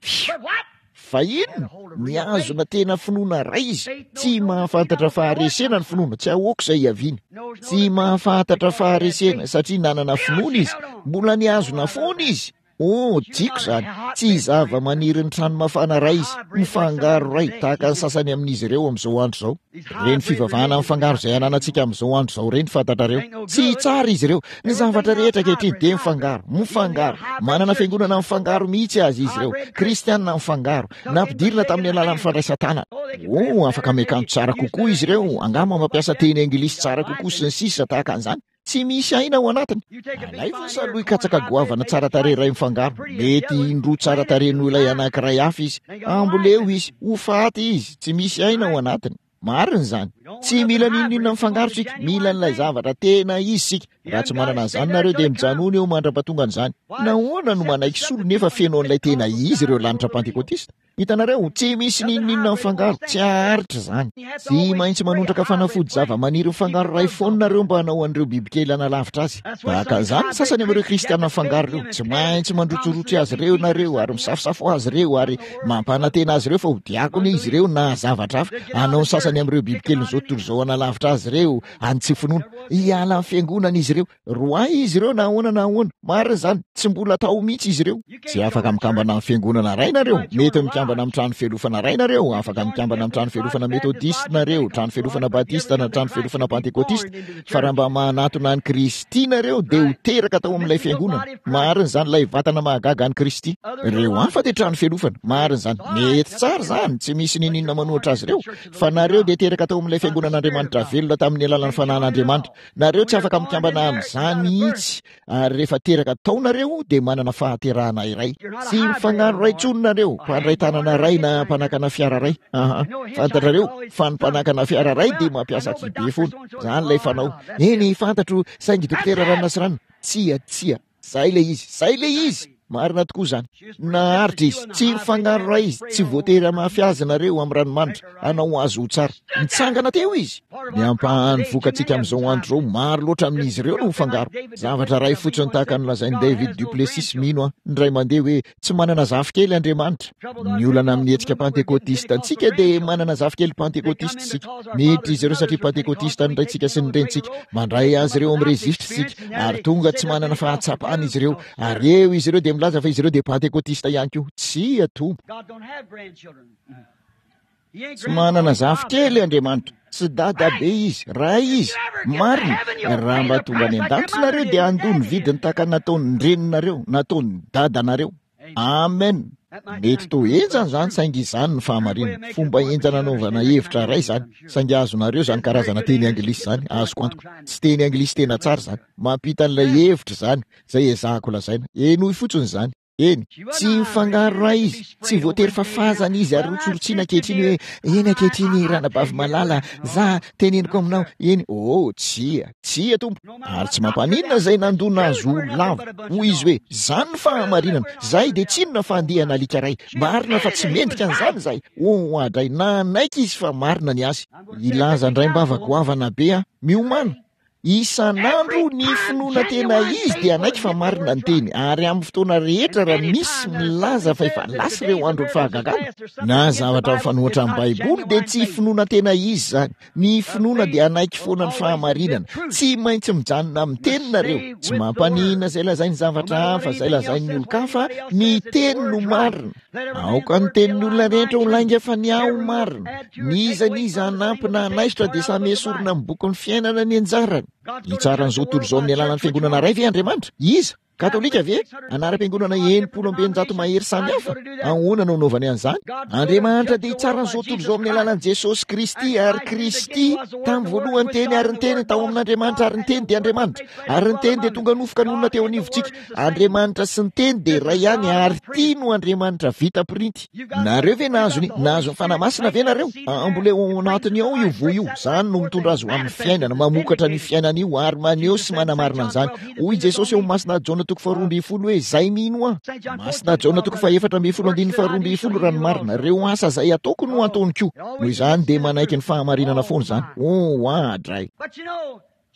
A: Fioo! Fa inona? Nihazona tena finoana iray izy. Tsy mahafantatra faharesena ny finoana. Tsy ahoako izay hiaviany. Tsy mahafantatra faharesena satria nanana finoana izy. Mbola nihazona foana izy. Oh, tiako izany. Tsy zava-maniry ny trano mafana iray izy, mifangaro iray, tahaka ny sasany amin'izy ireo amin'izao andro izao. Ireny fivavahana mifangaro izay ananantsika amin'izao andro izao ireny, fantatrareo. Tsy tsara izy ireo. Ny zavatra rehetra ankehitriny dia mifangaro, mifangaro. Manana fiangonana mifangaro mihitsy aza izy ireo. Kristiana mifangaro. Nampidirina tamin'ny alalan'ny fandraisan-tanana. Oh, afaka miakanjo tsara kokoa izy ireo, angamba mampiasa teny anglisy tsara kokoa sy ny sisa tahaka an'izany. Tsy misy aina ao anatiny. Alaivo ny salohy katsaka goavana tsara tarehy iray mifangaro. Mety indroa tsara tarehy noho ilay anankiray hafa izy. Amboleo izy. Ho faty izy. Tsy misy aina ao anatiny. Marina izany. Tsy mila n'inon'inona mifangaro isika. Mila an'ilay zavatra tena izy isika. Raha tsy manana an'izany nareo dia mijanona eo mandra-pahatonga an'izany. Nahoana no manaiky solo nefa feno an'ilay tena izy ireo lanitra Pantekotista? Hitanareo, tsy misy n'inon'inona mifangaro, tsy haharitra izany. Tsy maintsy manondraka fanafody zava-maniry mifangaro iray foana nareo mba hanao an'ireo bibikely hanalavitra azy. Tahaka an'izany ny sasany amin'ireo Kristiana mifangaro ireo. Tsy maintsy mandrotsirotsy azy ireo nareo, ary misafosafo azy ireo, ary mampanantena azy ireo fa ho diakona izy ireo na zavatra hafa. Hanao ny sasany amin'ireo bibikelin'izao tontolo izao hanalavitra azy ireo any tsy finoana. Hiala amin'ny fiangonana izy ireo. Roahy izy ireo na ahoana na ahoana. Marina izany, tsy mbola tao mihitsy izy ireo. Tsy afaka mikambana amin'ny fiangonana iray nareo. Mety mikambana. mikambana amin'ny trano fialofana iray nareo, afaka mikambana amin'ny trano fialofana Metodista nareo, trano fialofana Batista na trano fialofana Pantekotista, fa raha mba manatona an'i Kristy nareo dia ho teraka tao amin'ilay fiangonana. Marina izany, ilay vatana mahagaga an'i Kristy. Ireo hafa dia trano fialofana. Marina izany. Mety tsara izany, tsy misy n'inon'inona manohitra azy ireo. Fa nareo dia teraka tao amin'ilay fiangonan'Andriamanitra velona tamin'ny alalan'ny Fanahin'Andriamanitra. Nareo tsy afaka mikambana amin'izany mihitsy. Ary rehefa teraka tao nareo dia manana fahaterahana iray. Tsy mifangaro iray intsony nareo, mpandray tanana iray na mpanakana fiara iray. Aha. Fantatrareo fa ny mpanakana fiara iray dia mampiasa kibe foana. Izany ilay fanao. Eny, fantatro, saingy Dokotera Ranona sy Ranona. Tsia, tsia. Izay ilay izy. Izay ilay izy. Marina tokoa izany. Naharitra izy. Tsy mifangaro iray izy. Tsy voatery hamafy azy nareo amin'ny ranomanitra. Hanao azy ho tsara. Nitsangana teo izy. Ny ampahan'ny vokatsika amin'izao andro izao, maro loatra amin'izy ireo no mifangaro. Zavatra iray fotsiny tahaka ny lazain'i David duPlessis, mino aho, indray mandeha hoe, Tsy manana zafikely Andriamanitra. Ny olana amin'ny hetsika Pantekotista antsika dia manana zafikely Pantekotista isika. Miditra izy ireo satria Pantekotista ny raintsika sy ny renintsika. Mandray azy ireo amin'ny rejistra isika, ary tonga tsy manana fahatsapana izy ireo. Ary eo izy ireo dia milaza fa izy ireo dia Pantekotista ihany koa. Tsia, Tompo. Tsy manana zafikely Andriamanitra. Tsy dadabe izy, ray izy. Marina, raha mba tonga any an-danitra nareo dia handoa ny vidiny tahaka ny nataon'ny reninareo, nataon'ny dadanareo. Amen. Mety toa henjana izany saingy izany ny fahamarinana. Fomba henjana anaovana hevitra iray izany. Saingy azonareo izany karazana teny anglisy izany, azoko antoka. Tsy teny anglisy tena tsara izany. Mampita an'ilay hevitra izany, izay ezahako lazaina. Henoy fotsiny izany. Eny, tsy mifangaro ray izy, tsy voatery fafazana izy ary rotsirotsiana ankehitriny hoe, eny ankehitriny ranabavy malala, za, teneniko aminao, eny, oh, tsia, tsia Tompo, ary tsy mampaninona izay nandona azy ho lavo, hoy izy hoe, zany ny fahamarinana, zahay dia tsy inona fa andiana alika ray, marina fa tsy mendrika an'izany izahay, oh, oadray, nanaiky izy fa marina ny azy, hilaza andraimbava goavana be aho, miomàna. Isan'andro ny finoana tena izy dia hanaiky fa marina ny teny, ary amin'ny fotoana rehetra raha misy milaza fa efa lasa ireo andron'ny fahagagana, na zavatra mifanohitra amin'ny Baiboly dia tsy finoana tena izy izany. Ny finoana dia hanaiky foana ny fahamarinana. Tsy maintsy mijanona amin'ny teny nareo. Tsy mampaninona izay lazain'ny zavatra hafa, izay lazain'ny olon-kafa, ny teny no marina. Aoka ny tenin'ny olona rehetra ho lainga fa ny ahy ho marina. N'iza n'iza hanampy na hanaisotra dia samy hesorina amin'ny bokin'ny fiainana ny anjarany. Hitsara an'izao tontolo izao amin'ny alalan'ny fiangonana iray ve Andriamanitra? Iza? Katolika ve? Anaram-piangonana 660 mahery samy hafa? Ahoana no anaovany an'izany? Andriamanitra dia hitsara an'izao tontolo izao amin'ny alalan'i Jesosy Kristy ary Kristy tamin'ny voalohany Teny ary ny Teny tao amin'Andriamanitra ary ny Teny dia Andriamanitra ary ny Teny dia tonga nofo ka nonina teo anivontsika. Andriamanitra sy ny Teny dia iray ihany ary ity no Andriamanitra vita printy. Nareo ve nahazo ny, nahazo ny Fanahy Masina ve nareo? Amboleo ao anatiny ao io voa io. Izany no mitondra azy ho amin'ny fiainana, mamokatra an'io fiainana io ary maneho sy manamarina an'izany. Hoy Jesosy ao amin'ny Masina Jaona toko faharoa ambin'ny folo hoe, Izay mino Ahy. Masina Jaona toko faha-14 andininy faharoa ambin'ny folo raha ny marina, ireo asa izay ataoko no ataony koa. Noho izany dia manaiky ny fahamarinana foana izany. Oh, adray.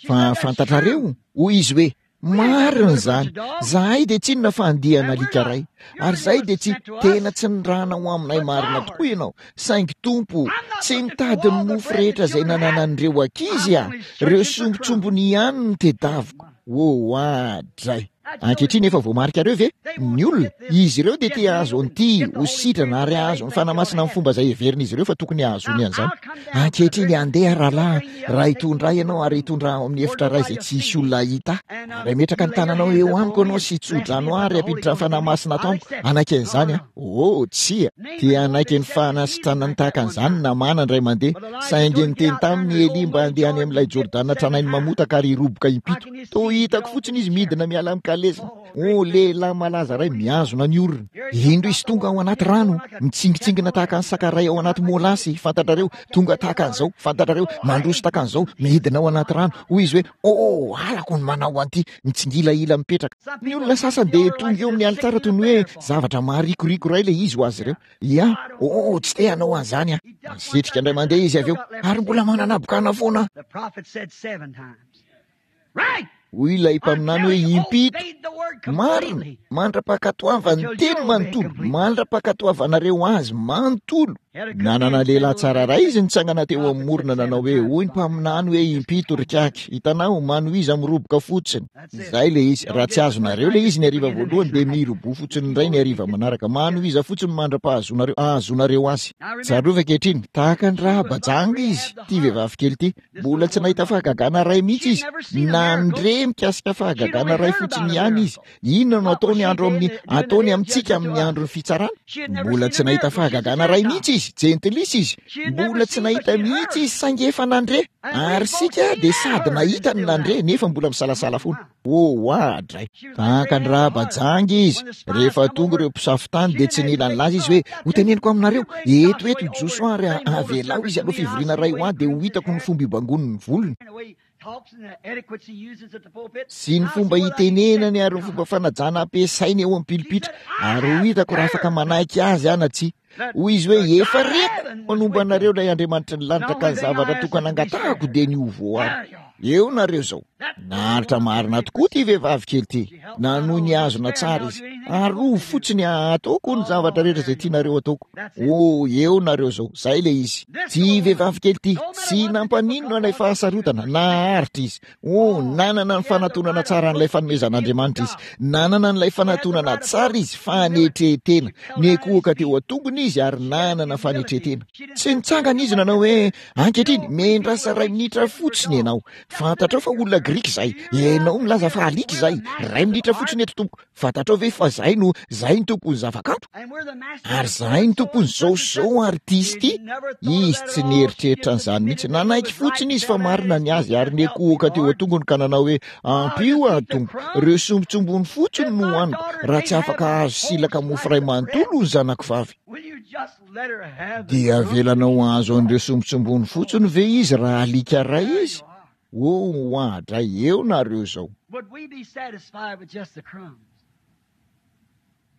A: Fa fantatrareo, hoy izy hoe, Marina izany. Zahay dia tsy inona fa andiana alika iray. Ary izahay dia tsy, tena tsy nirahana ho aminay marina tokoa ianao. Saingy Tompo, tsy mitady ny mofo rehetra izay nananan'ireo ankizy aho. Ireo sombintsombiny ihany no tedaviko. Oh, adray. Ankehitriny efa voamarikareo ve? Ny olona, izy ireo dia te hahazo an'ity, ho sitrana ary hahazo ny Fanahy Masina amin'ny fomba izay heverin'izy ireo fa tokony hahazoany an'izany. Ankehitriny andeha rahalahy, raha hitondra ahy ianao ary hitondra ahy ao amin'ny efitra iray izay tsy hisy olona hahita ahy, ary hametraka ny tananao eo amiko ianao sy hitso-drano ahy ary hampiditra ny Fanahy Masina ato amiko, hanaiky an'izany aho. Oh, tsia. Te hanaiky ny fanasitranany tahaka an'izany Namàna indray mandeha, saingy niteny taminy i Elia mba handeha any amin'ilay Jordana tranainy mamotaka ary hiroboka impito. Toa hitako fotsiny izy midina miala amin'ny kalesiny. Oh, lehilahy malaza iray mihazona ny orony. Indro izy tonga ao anaty rano, mitsingitsingina tahaka ny saka iray ao anaty molasy, fantatrareo, tonga tahaka an'izao, fantatrareo, mandroso tahaka an'izao, midina ao anaty rano. Hoy izy hoe, Oh, halako ny manao an'ity, mitsingilahila mipetraka. Ny olona sasany dia tonga eo amin'ny alitara toy ny hoe zavatra maharikoriko iray ilay izy ho azy ireo. Ia, oh, tsy te hanao an'izany aho. Nasitrika indray mandeha izy avy eo, ary mbola manana habokana foana aho. Hoy ilay mpaminany hoe, Impito. Marina, mandra-pankatoavan'ny teny manontolo, mandra-pankatoavanareo azy manontolo. Nanana lehilahy tsara iray izy nitsangana teo amin'ny morona nanao hoe, hoy ny mpaminany hoe, Impito ry kaky. Hitanao, manohiza miroboka fotsiny. Izay ilay izy. Raha tsy azonareo ilay izy ny hariva voalohany, dia miroboha fotsiny indray ny hariva manaraka. Manohiza fotsiny mandra-pahazonareo, ahazoanareo azy. Tsarovy ankehitriny, tahaka an'i Rahaba janga izy, ity vehivavy kely ity. Mbola tsy nahita fahagagana iray mihitsy izy. Nandre mikasika fahagagana iray fotsiny ihany izy. Inona no ataony andro amin'ny, ataony amintsika amin'ny andron'ny fitsarana? Mbola tsy nahita fahagagana iray mihitsy izy. Jentilisa izy. Mbola tsy nahita mihitsy izy saingy efa nandre. Ary isika dia sady nahita no nandre nefa mbola misalasala foana. Oh, oadray! Tahaka an'i Rahaba janga izy. Rehefa tonga ireo mpisafo tany dia tsy nila nilaza izy hoe, Hoteneniko aminareo, eto eto i Josoa ary avelao izy hanao fivoriana iray ho ahy dia ho hitako ny fomba hibangoany ny volony. Sy ny fomba hitenenany ary ny fomba fanajana ampiasainy eo amin'ny pilipitra, ary ho hitako raha afaka manaiky azy aho na tsia. Hoy izy hoe, Efa reko manomba anareo ilay Andriamanitry ny lanitra ka ny zavatra tokana angatahako dia ny ho voaro. Eo nareo izao. Naharitra marina tokoa ity vehivavy kely ity. Nanohy nihazona tsara izy. Arovy fotsiny ataoko ny zavatra rehetra izay tianareo ataoko. Oh, eo nareo izao. Izay ilay izy. Ity vehivavy kely ity, tsy nampaninona ilay fahasarotana. Naharitra izy. Oh, nanana ny fanatonana tsara an'ilay fanomezan'Andriamanitra izy. Nanana an'ilay fanatonana tsara izy, fanetren-tena. Niankohoka teo an-tongony izy ary nanana fanetren-tena. Tsy nitsangana izy nanao hoe, Ankehitriny, miandrasa iray minitra fotsiny ianao. Fantatrao fa olona grika izahay. Ianao milaza fa alika izahay. Iray minitra fotsiny eto, tompoko. Fantatrao ve fa izahay no, izahay no tompon'ny zavakanto? Ary izahay no tompon'izao sy izao ary ity sy ity? Izy tsy nieritreritra an'izany mihitsy. Nanaiky fotsiny izy fa marina ny azy ary niankohoka teo an-tongony ka nanao hoe, Ampio aho, Tompo. Ireo sombintsombiny fotsiny no hohaniko, raha tsy afaka hahazo silaka mofo iray manontolo ny zanako vavy. Dia avelanao hahazo an'ireo sombintsombiny fotsiny ve izy raha alika iray izy? Oh, oadray, eo nareo izao.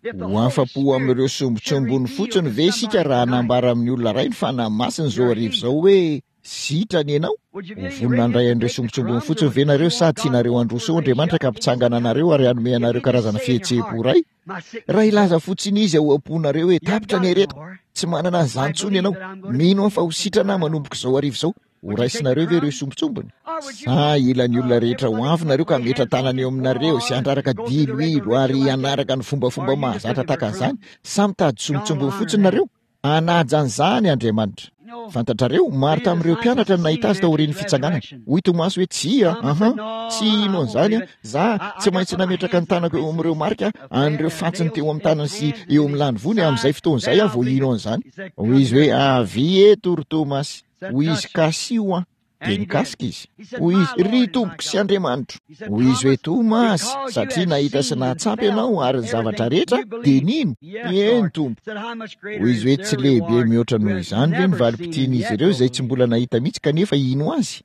A: Ho afa-po amin'ireo sombintsombiny fotsiny ve isika raha hanambara amin'ny olona iray ny Fanahy Masina izao hariva izao hoe, Sitrana ianao? Ho vonona handray an'ireo sombintsombiny fotsiny ve nareo sa tianareo handroso eo Andriamanitra ka hampitsangana anareo ary hanome anareo karazana fihetseham-po iray? Raha hilaza fotsiny Izy ao am-ponareo hoe, Tapitra ny aretiko, tsy manana an'izany intsony ianao, mino aho fa ho sitrana aho manomboka izao hariva izao, Ho raisinareo ve ireo sombintsombiny? Sa hila ny olona rehetra ho avy nareo ka hametra-tanana eo aminareo sy handraraka diloilo ary hanaraka ny fombafomba mahazatra tahaka an'izany? Sa mitady sombintsombiny fotsiny nareo? Hanaja an'izany Andriamanitra. Fantatrareo, maro tamin'ireo mpianatra no nahita azy taorian'ny fitsanganana. Hoy Tomasy hoe, Tsia, aha, tsy hino an'izany aho. Za, tsy maintsy nametraka ny tanako eo amin'ireo marika an'ireo fantsiny teo amin'ny tanany sy eo amin'ny lanivoany, amin'izay fotoana izay aho vao hino an'izany. Hoy izy hoe, Avia eto, ry Tomasy. Hoy izy, Kasiho aho. Dia nikasika izy. Hoy izy, Ry Tompoko sy Andriamanitro. Hoy izy hoe, Tomasy, satria nahita sy nahatsapa ianao ary ny zavatra rehetra, dia nino. Eny, Tompo. Hoy izy hoe, Tsy lehibe mihoatra noho izany ve ny valim-pitian'izy ireo izay tsy mbola nahita mihitsy kanefa hino azy?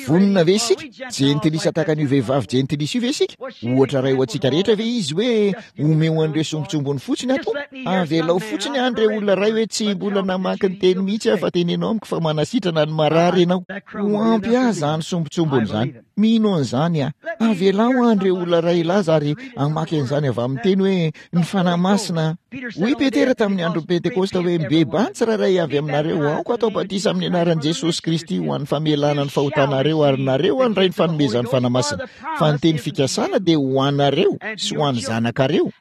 A: Vonona ve isika? Jentilisa tahaka an'io vehivavy jentilisa io ve isika? Ohatra iray ho antsika rehetra ve izy hoe omeo an'ireo sombintsombiny fotsiny aho Tompo? Avelao fotsiny any ireo olona iray hoe tsy mbola namaky ny teny mihitsy aho fa teneno amiko fa manasitrana ny marary ianao. Ho ampy ahy izany sombintsombiny izany. Mino an'izany aho. Avelao any ireo olona iray hilaza ary hamaky an'izany avy amin'ny teny hoe ny Fanahy Masina. Hoy Petera tamin'ny andron'ny Pentekosta hoe, Mibebaha ny tsirairay avy aminareo, aoka hatao batisa amin'ny anaran'i Jesosy Kristy ho an'ny famelana ny fahotanareo, ary nareo handray ny fanomezan'ny Fanahy Masina. Fa ny teny fikasana dia ho anareo sy ho an'ny zanakareo,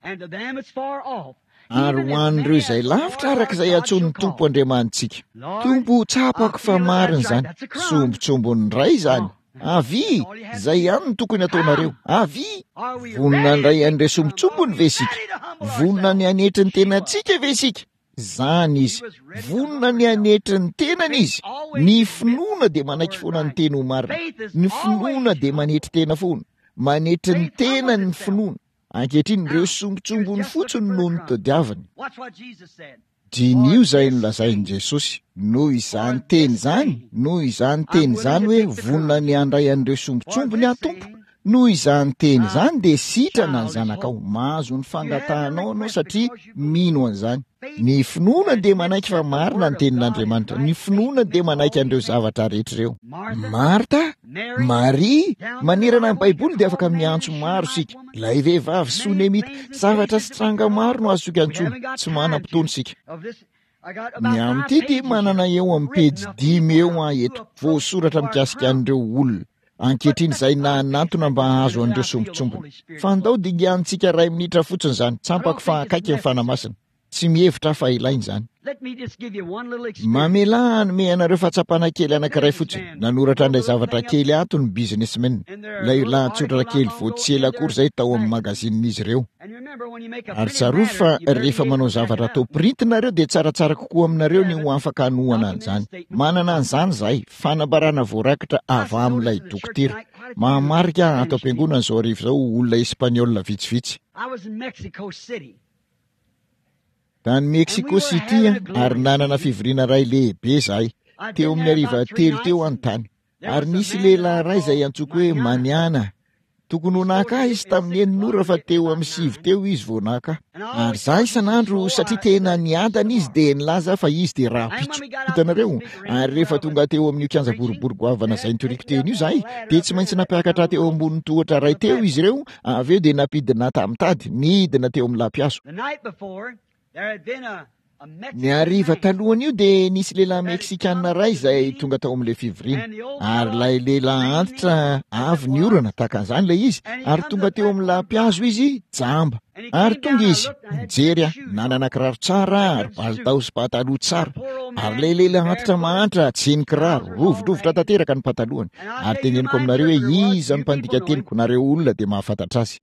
A: ary ho an'ireo izay lavitra araka izay antsoin'ny Tompo Andriamanitsika. Tompo, tsapako fa marina izany. Sombintsombin'ny Ray izany. Avia! Izay ihany no tokony hataonareo. Avia! Vonona handray an'ireo sombintsombiny ve isika? Vonona ny hanetry ny tenantsika ve isika? Izany izy. Vonona ny hanetry ny tenany izy. Ny finoana dia manaiky foana ny teny ho marina. Ny finoana dia manetry tena foana. Manetry ny tenany ny finoana. Ankehitriny, ireo sombintsombiny fotsiny no notadiaviny. Diniho izay nolazain'i Jesosy. Noho izany teny izany, noho izany teny izany hoe vonona ny handray an'ireo sombintsombiny aho Tompo, Noho izany teny izany dia sitrana ny zanakao. Mahazo ny fangatahanao ianao satria mino an'izany. Ny finoana dia manaiky fa marina ny tenin'Andriamanitra. Ny finoana dia manaiky an'ireo zavatra rehetra ireo. Marta, Maria, manerana ny Baiboly dia afaka miantso maro isika. Ilay vehivavy Sonemita, zavatra sy tranga maro no azontsika antsoina. Tsy manam-potoana isika. Ny amin'ity dia manana eo amin'ny pejy dimy eo aho eto, voasoratra mikasika an'ireo olona ankehitriny izay nanantona mba hahazo an'ireo sombintsombiny. Fa andao dinganintsika iray minitra fotsiny izany, tsampako fa akaiky ny Fanahy Masina. Tsy mihevitra aho fa ilaina izany. Mamelà hanome anareo fahatsapana kely anankiray fotsiny. Nanoratra an'ilay zavatra kely ato ny Businessmen, ilay lahatsoratra kely vao tsy ela akory izay tao amin'ny magazinin'izy ireo. Ary tsarovy fa rehefa manao zavatra atao printy nareo dia tsaratsara kokoa aminareo ny ho afaka hanohana an'izany. Manana an'izany izahay, fanambarana voarakitra avy amin'ilay dokotera. Mahamarika ahy ato am-piangonana izao hariva izao olona espaniola vitsivitsy. Tany Mexico City ary nanana fivoriana iray lehibe izahay, teo amin'ny hariva telo teo aho no tany. Ary nisy lehilahy iray izay antsoiko hoe Maniana. Tokony ho naka ahy izy tamin'ny enina ora fa teo amin'ny sivy teo izy vao naka ahy. Ary izaho isan'andro, satria tena niadana izy, dia nilaza aho fa izy dia rahampitso. Hitanareo? Ary rehefa tonga teo amin'io kianja boribory goavana izay nitoriako teny io izahay, dia tsy maintsy nampiakatra ahy teo ambonin'ny tohatra iray teo izy ireo, avy eo dia nampidina ahy tamin'ny tady, nidina teo amin'ny lampihazo. Ny hariva talohan'io dia nisy lehilahy Meksikana iray izay tonga tao amin'ilay fivoriana. Ary ilay lehilahy antitra avy ny orana, tahaka an'izany ilay izy, ary tonga teo amin'ny lampihazo izy, jamba. Ary tonga izy, nijery ahy, nanana kiraro tsara ary palitao sy pataloha tsara. Ary ilay lehilahy antitra mahantra, tsy nikiraro, rovidrovitra tanteraka ny patalohany. Ary teneniko aminareo hoe iza no mpandika teniko, nareo olona dia mahafantatra azy.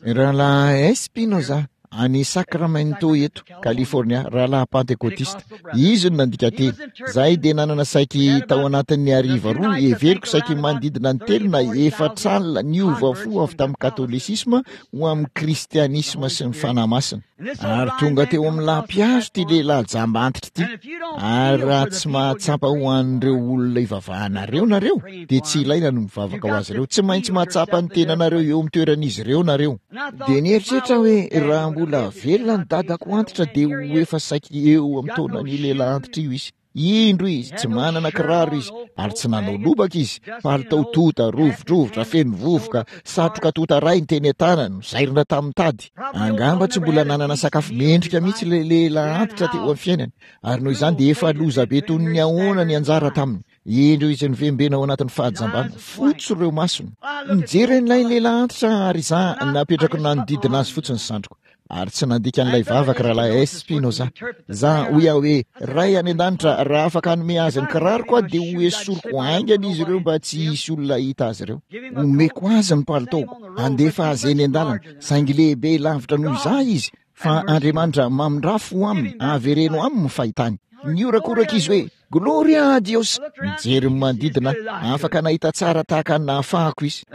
A: Rahalahy Espinoza. Any Sacramento eto, California, rahalahy Pantekotista. Izy no nandika teny. Izahay dia nanana saiky tao anatin'ny hariva roa, heveriko saiky manodidina ny telo na efatra alina niova fo avy tamin'ny Katolisisma ho amin'ny Kristianisma sy ny Fanahy Masina. Ary tonga teo amin'ny lampihazo ity lehilahy jamba antitra ity. Ary raha tsy mahatsapa ho an'ireo olona ivavahanareo nareo, dia tsy ilaina ny mivavaka ho azy ireo. Tsy maintsy mahatsapa ny tenanareo eo amin'ny toeran'izy ireo nareo. Dia nieritreritra aho hoe raha mbola velona ny dadako antitra dia ho efa saiky eo amin'ny taonan'io lehilahy antitra io izy. Indro izy, tsy manana kiraro izy, ary tsy nanao lobaka izy, palitao tota, rovidrovitra, feno vovoka, satroka tota iray ny teny an-tanany, nozairina tamin'ny tady. Angamba tsy mbola nanana sakafo mendrika mihitsy ilay lehilahy antitra teo amin'ny fiainany, ary noho izany dia efa lozabe toy ny ahoana ny anjara taminy. Indreo izy nivembena ao anatin'ny fahajambana, fotsy ireo masony. Nijery an'ilay lehilahy antitra ary izaho napetrako nanodidina azy fotsiny ny sandriko. Ary tsy nandika an'ilay vavaka Rahalahy Espinoza. Za, hoy aho hoe, Ray any An-danitra, raha afaka hanome azy ny kiraroko aho dia ho esoriko haingana izy ireo mba tsy hisy olona hahita azy ireo. Omeko azy ny palitaoko, handefa azy eny an-dalana, saingy lehibe lavitra noho izaho izy, Fa Andriamanitra mamindrà fo aminy, avereno aminy ny fahitany. Nihorakoraka izy hoe, Gloria a Dios! Nijery ny manodidina, afaka nahita tsara tahaka ny nahafahako izy.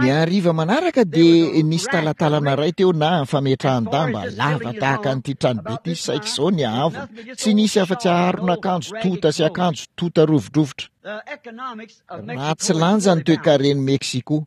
A: Ny hariva manaraka dia nisy talatalana iray teo na fametrahan-damba lava tahaka an'ity tranobe ity, saiky izao ny haavony. Tsy nisy afa-tsy aron'akanjo tonta sy akanjo tonta rovidrovitra. Ratsy lanja ny toekaren'i Mexico.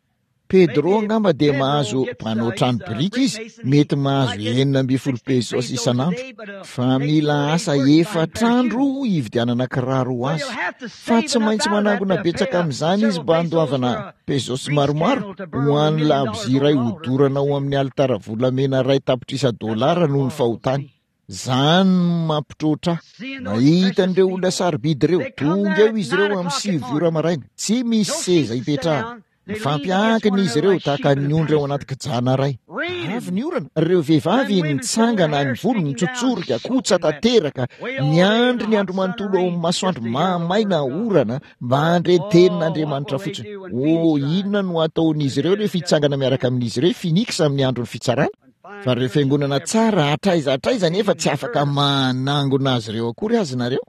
A: Pedro angamba dia mahazo mpanao trano biriky izy, mety mahazo 16 pesos isan'andro, fa mila asa efatra andro hividianana kiraro ho azy. Fa tsy maintsy manangona betsaka amin'izany izy mba handoavana pesos maromaro ho an'ny labozia iray hodorana ao amin'ny alitara volamena iray tapitrisa dolara noho ny fahotany. Zany no mampitroatra ahy. Mahita an'ireo olona sarobidy ireo. Tonga eo izy ireo amin'ny sivy ora maraina. Tsy misy seza hipetrahana. Mifampiankina izy ireo tahaka ny ondry ao anaty kijana iray. Avy ny orana, ireo vehivavy nitsangana, ny volo nitsotsorika, kotsa tanteraka, niandry ny andro manontolo ao amin'ny masoandro mahamaina orana mba handre tenin'Andriamanitra fotsiny. Oh, inona no hataon'izy ireo rehefa hitsangana miaraka amin'izy ireo i Phoenix amin'ny andron'ny fitsarana? Fa ireo fiangonana tsara hatraiza hatraiza anefa tsy afaka manangona azy ireo akory aza nareo.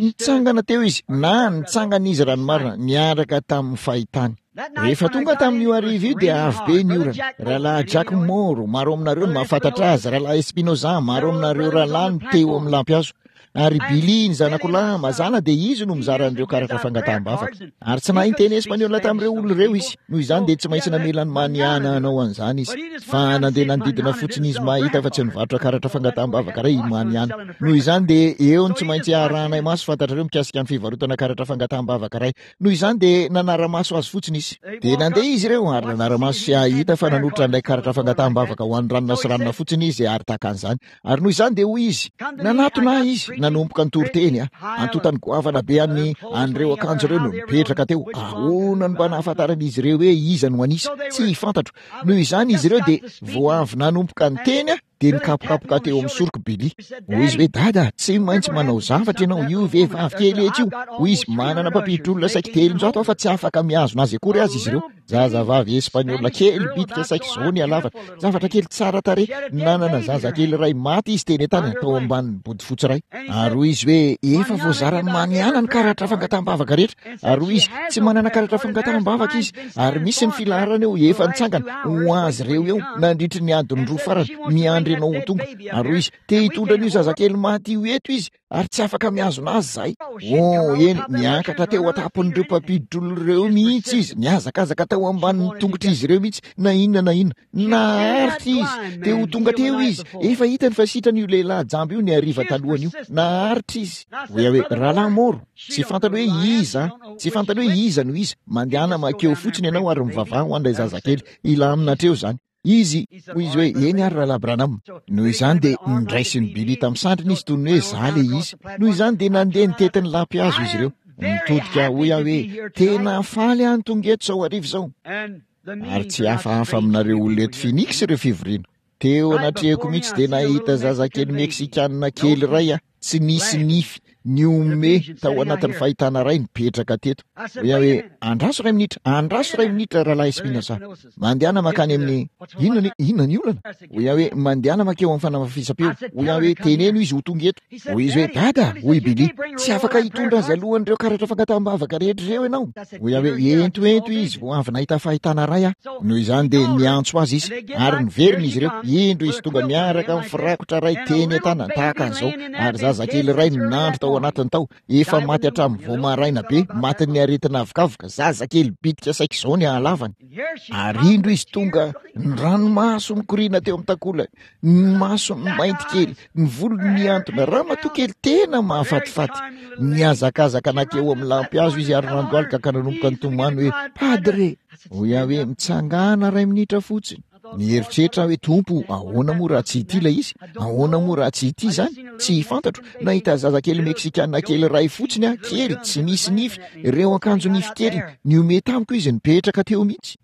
A: Nitsangana teo izy, na nitsangana izy raha ny marina, niaraka tamin'ny fahitany. Rehefa tonga tamin'io hariva io dia avy be ny orana. Rahalahy Jack Moore, maro aminareo no mahafantatra azy, Rahalahy Espinoza, maro aminareo rahalahy no teo amin'ny lampihazo. Ary Billy, ny zanako lahy, mazàna dia izy no mizara an'ireo karatra fangataham-bavaka. Ary tsy nahay niteny espaniola tamin'ireo olona ireo izy, noho izany dia tsy maintsy namela an'i Maniana hanao an'izany izy. Fa nandeha nanodidina fotsiny izy mahita fa tsy nivarotra karatra fangataham-bavaka iray i Maniana. Noho izany dia eo no tsy maintsy harahanay maso fantatrareo mikasika ny fivarotana karatra fangataham-bavaka iray. Noho izany dia nanara-maso azy fotsiny izy. Dia nandeha izy ireo ary nanara-maso sy hahita fa nanolotra an'ilay karatra fangataham-bavaka ho an'i ranona sy ranona fotsiny izy ary tahaka an'izany. Ary noho izany dia hoy izy, nanatona ahy izy, nanomboka nitory teny aho. Antontany goavana be an'ny an'ireo akanjo ireo no nipetraka teo. Ahoana no mba nahafantaran'izy ireo hoe iza no an'isa? Tsy fantatro. Noho izany izy ireo dia vao avy nanomboka niteny aho dia nikapokapoka teo amin'ny soroko Billy. Hoy izy hoe, Dada, tsy maintsy manao zavatra ianao, io vehivavy kely etsy io. Hoy izy, manana mpampiditra-olona saiky 300 aho fa tsy afaka mihazona azy akory aza izy ireo. Zazavavy espaniola kely bitika saiky izao ny halavany. Zavatra kely tsara tarehy. Nanana zazakely iray maty izy teny an-tanany tao ambanin'ny bodofotsy iray. Ary hoy izy hoe, Efa voazaran'i Maniana ny karatra fangataham-bavaka rehetra. Ary hoy izy, Tsy manana karatra fangataham-bavaka izy. Ary misy ny filaharana eo, efa nitsangana ho azy ireo eo nandritry ny adiny roa farany, miandry anao ho tonga. Ary hoy izy, Te hitondra an'io zazakely maty io eto izy. Ary tsy afaka mihazona azy izahay. Oh, eny, niakatra teo an-tampon'ireo mpampiditra-olona ireo mihitsy izy, nihazakazaka tao ambanin'ny tongotr'izy ireo mihitsy, na inona na inona. Naharitra izy. Te ho tonga teo izy. Efa hitany fa sitrana io lehilahy jamba io ny hariva talohan'io. Naharitra izy. Hoy aho hoe, Rahalahy Moro, tsy fantany hoe iza, tsy fantany hoe iza no iza. Mandehana mankeo fotsiny ianao ary mivavaha ho an'ilay zazakely. Hilamina hatreo izany. Izy, hoy izy hoe, Eny ary Rahalahy Branham. Noho izany dia noraisin'i Billy tamin'ny sandriny izy toy ny hoe izaho ilay izy. Noho izany dia nandeha nitety ny lampihazo izy ireo. Nitodika aho, hoy aho hoe, Tena faly aho ny tonga eto izao hariva izao. Ary tsy hafahafa aminareo olona eto Phoenix ireo fivoriana. Teo anatrehako mihitsy dia nahita zazakely Meksikanina kely iray aho, tsy nisy nify, nihomehy tao anatin'ny fahitana iray nipetraka teto. Hoy aho hoe, Andraso iray minitra, andraso iray minitra, Rahalahy Espinosa. Mandehana mankany amin'ny... Inona ny, inona ny olana? Hoy aho hoe, Mandehana mankeo amin'ny fanamafisam-peo. Hoy aho hoe, Teneno izy ho tonga eto. Hoy izy hoe, Dada, hoy Billy, tsy afaka hitondra azy alohan'ireo karatra fangataham-bavaka rehetra ireo ianao. Hoy aho hoe, Ento, ento izy, vao avy nahita fahitana iray aho. Noho izany dia niantso azy izy, ary niverina izy ireo. Indro izy tonga miaraka amin'ny firakotra iray teny an-tanany, tahaka an'izao, ary zazakely iray nandry tao anatiny tao, efa maty hatramin'ny vao maraina be, matin'ny aretina avokavoka, zazakely bitika saiky izao ny halavany. Ary indro izy tonga, ny ranomaso nikoriana teo amin'ny takolany, ny masony mainty kely, ny volony nihantona, ramatoa kely tena mahafatifaty. Nihazakazaka nankeo amin'ny lampihazo izy ary nandohalika ka nanomboka nitomany hoe, Padre! Hoy aho hoe, Mitsangàna iray minitra fotsiny. Nieritreritra aho hoe, Tompo, ahoana moa raha tsy ity ilay izy? Ahoana moa raha tsy ity izany? Tsy fantatro. Nahita zazakely Meksikana kely iray fotsiny aho, kely, tsy misy nify, ireo akanjo nify kely. Nihomehy tamiko izy, nipetraka teo mihitsy.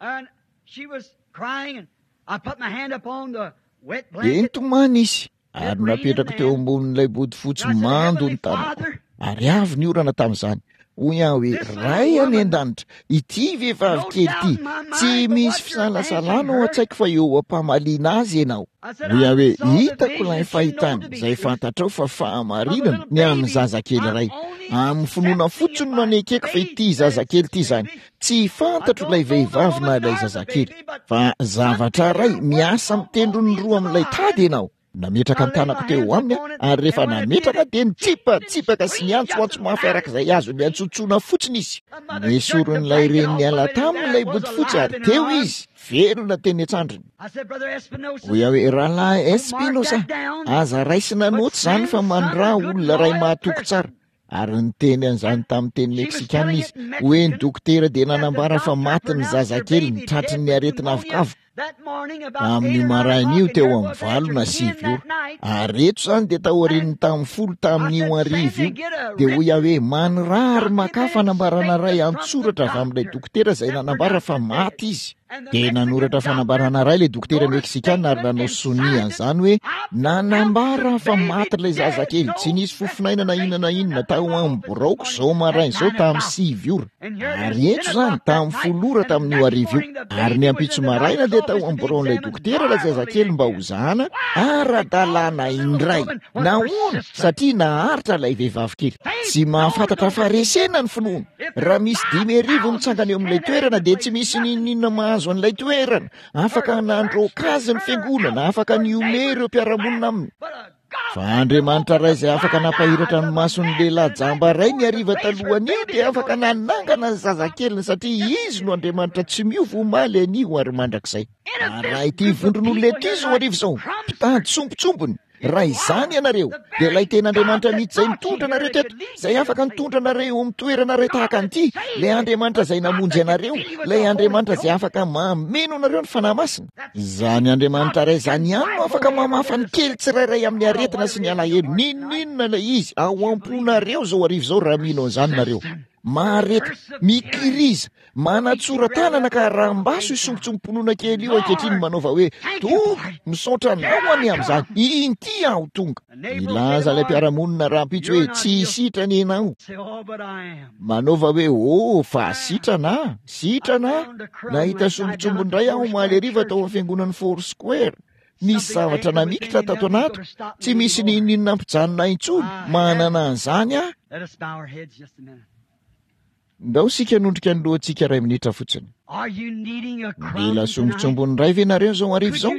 A: Dia nitomany izy, ary napetrako teo ambonin'ilay bodofotsy mando ny tanako, ary avy ny orana tamin'izany. Hoy aho hoe, Ray any an-danitra, ity vehivavy kely ity, tsy misy fisalasalana ao an-tsaiko fa eo am-pamaliana azy ianao. Hoy aho hoe, Hitako ilay fahitana, izay fantatrao fa fahamarinana, ny amin'ny zazakely iray. Amin'ny finoana fotsiny no anekeko fa ity zazakely ity izany. Tsy fantatro ilay vehivavy na ilay zazakely, fa zavatra iray miasa amin'ny tendrony roa amin'ilay tady ianao. Nametraka ny tanako teo aminy aho, ary rehefa nametraka dia nitsipatsipaka sy niantsoantso mafy araka izay azony niantsoantsoana fotsiny izy. Nesorin'ilay reny niala taminy ilay bodofotsy ary teo izy, velona teny an-tsandriny. Hoy aho hoe, Rahalahy Espinosa, aza raisina naoty izany fa mandraha olona iray mahatoky tsara. Ary niteny an'izany tamin'ny teny meksikana izy, hoe ny dokotera dia nanambara fa maty ny zazakeliny tratry ny aretina avokavoka tamin'io maraina io teo amin'ny 8 na 9 ora. Ary eto izany dia taorian'ny tamin'ny 10 tamin'io hariva io. Dia hoy aho hoe, Maniraha ary makà fanambarana iray an-tsoratra avy amin'ilay dokotera izay nanambara fa maty izy. Dia nanoratra fanambarana iray ilay dokotera meksikana ary nanao sonia an'izany hoe nanambara fa maty ilay zazakely, tsy nisy fofonaina na inona na inona tao amin'ny biraoko izao maraina izao tamin'ny 9 ora. Ary eto izany tamin'ny 10 ora tamin'io hariva io. Ary ny ampitso maraina dia tao amin'ny biraon'ilay dokotera ilay zazakely mba hozahana ara-dalàna indray. Nahoana? Satria naharitra ilay vehivavy kely. Tsy mahafantatra faharesena ny finoana. Raha misy 5000 mitsangana eo amin'ilay toerana dia tsy misy n'inon'inona mahazo an'ilay toerana. Afaka nandroaka azy ny fiangonana, afaka nihomehy ireo mpiara-monina aminy. Fa Andriamanitra Ray izay afaka nampahiratra ny mason'ny lehilahy jamba iray ny hariva talohan'io dia afaka nanangana ny zazakeliny satria Izy no Andriamanitra tsy miova omaly, anio ary mandrakizay. Ary raha ity vondron'olona ity izao hariva izao, mpitady sombintsombiny, raha izany ianareo, dia ilay tena Andriamanitra mihitsy izay nitondra anareo teto, izay afaka nitondra anareo eo amin'ny toerana iray tahaka an'ity, ilay Andriamanitra izay namonjy anareo, ilay Andriamanitra izay afaka mameno anareo ny Fanahy Masina. Izany Andriamanitra iray izany ihany no afaka mamafa ny kely tsirairay amin'ny aretina sy ny alahelo, n'inon'inona ilay izy, ao am-ponareo izao hariva izao raha mino an'izany nareo. Mahareta, mikiriza, Manatsora-tanana ka rambaso io sombintsombim-pinoana kely io ankehitriny manaova hoe, Tompo, misaotra Anao anie amin'izany. Inty aho tonga. Nilaza ilay mpiara-monina rahampitso hoe, Tsy sitrana ianao. Manaova hoe, Oh, fa sitrana aho. Sitrana aho. Nahita sombintsombiny indray aho omaly hariva tao amin'ny fiangonan'ny Foursquare. Nisy zavatra namikitra tato anatiko. Tsy misy n'inon'inona nampijanona ahy intsony. Manana an'izany aho. Ndao isika hanondrika ny lohantsika iray minitra fotsiny. Mila sombintsombiny iray ve nareo izao hariva izao?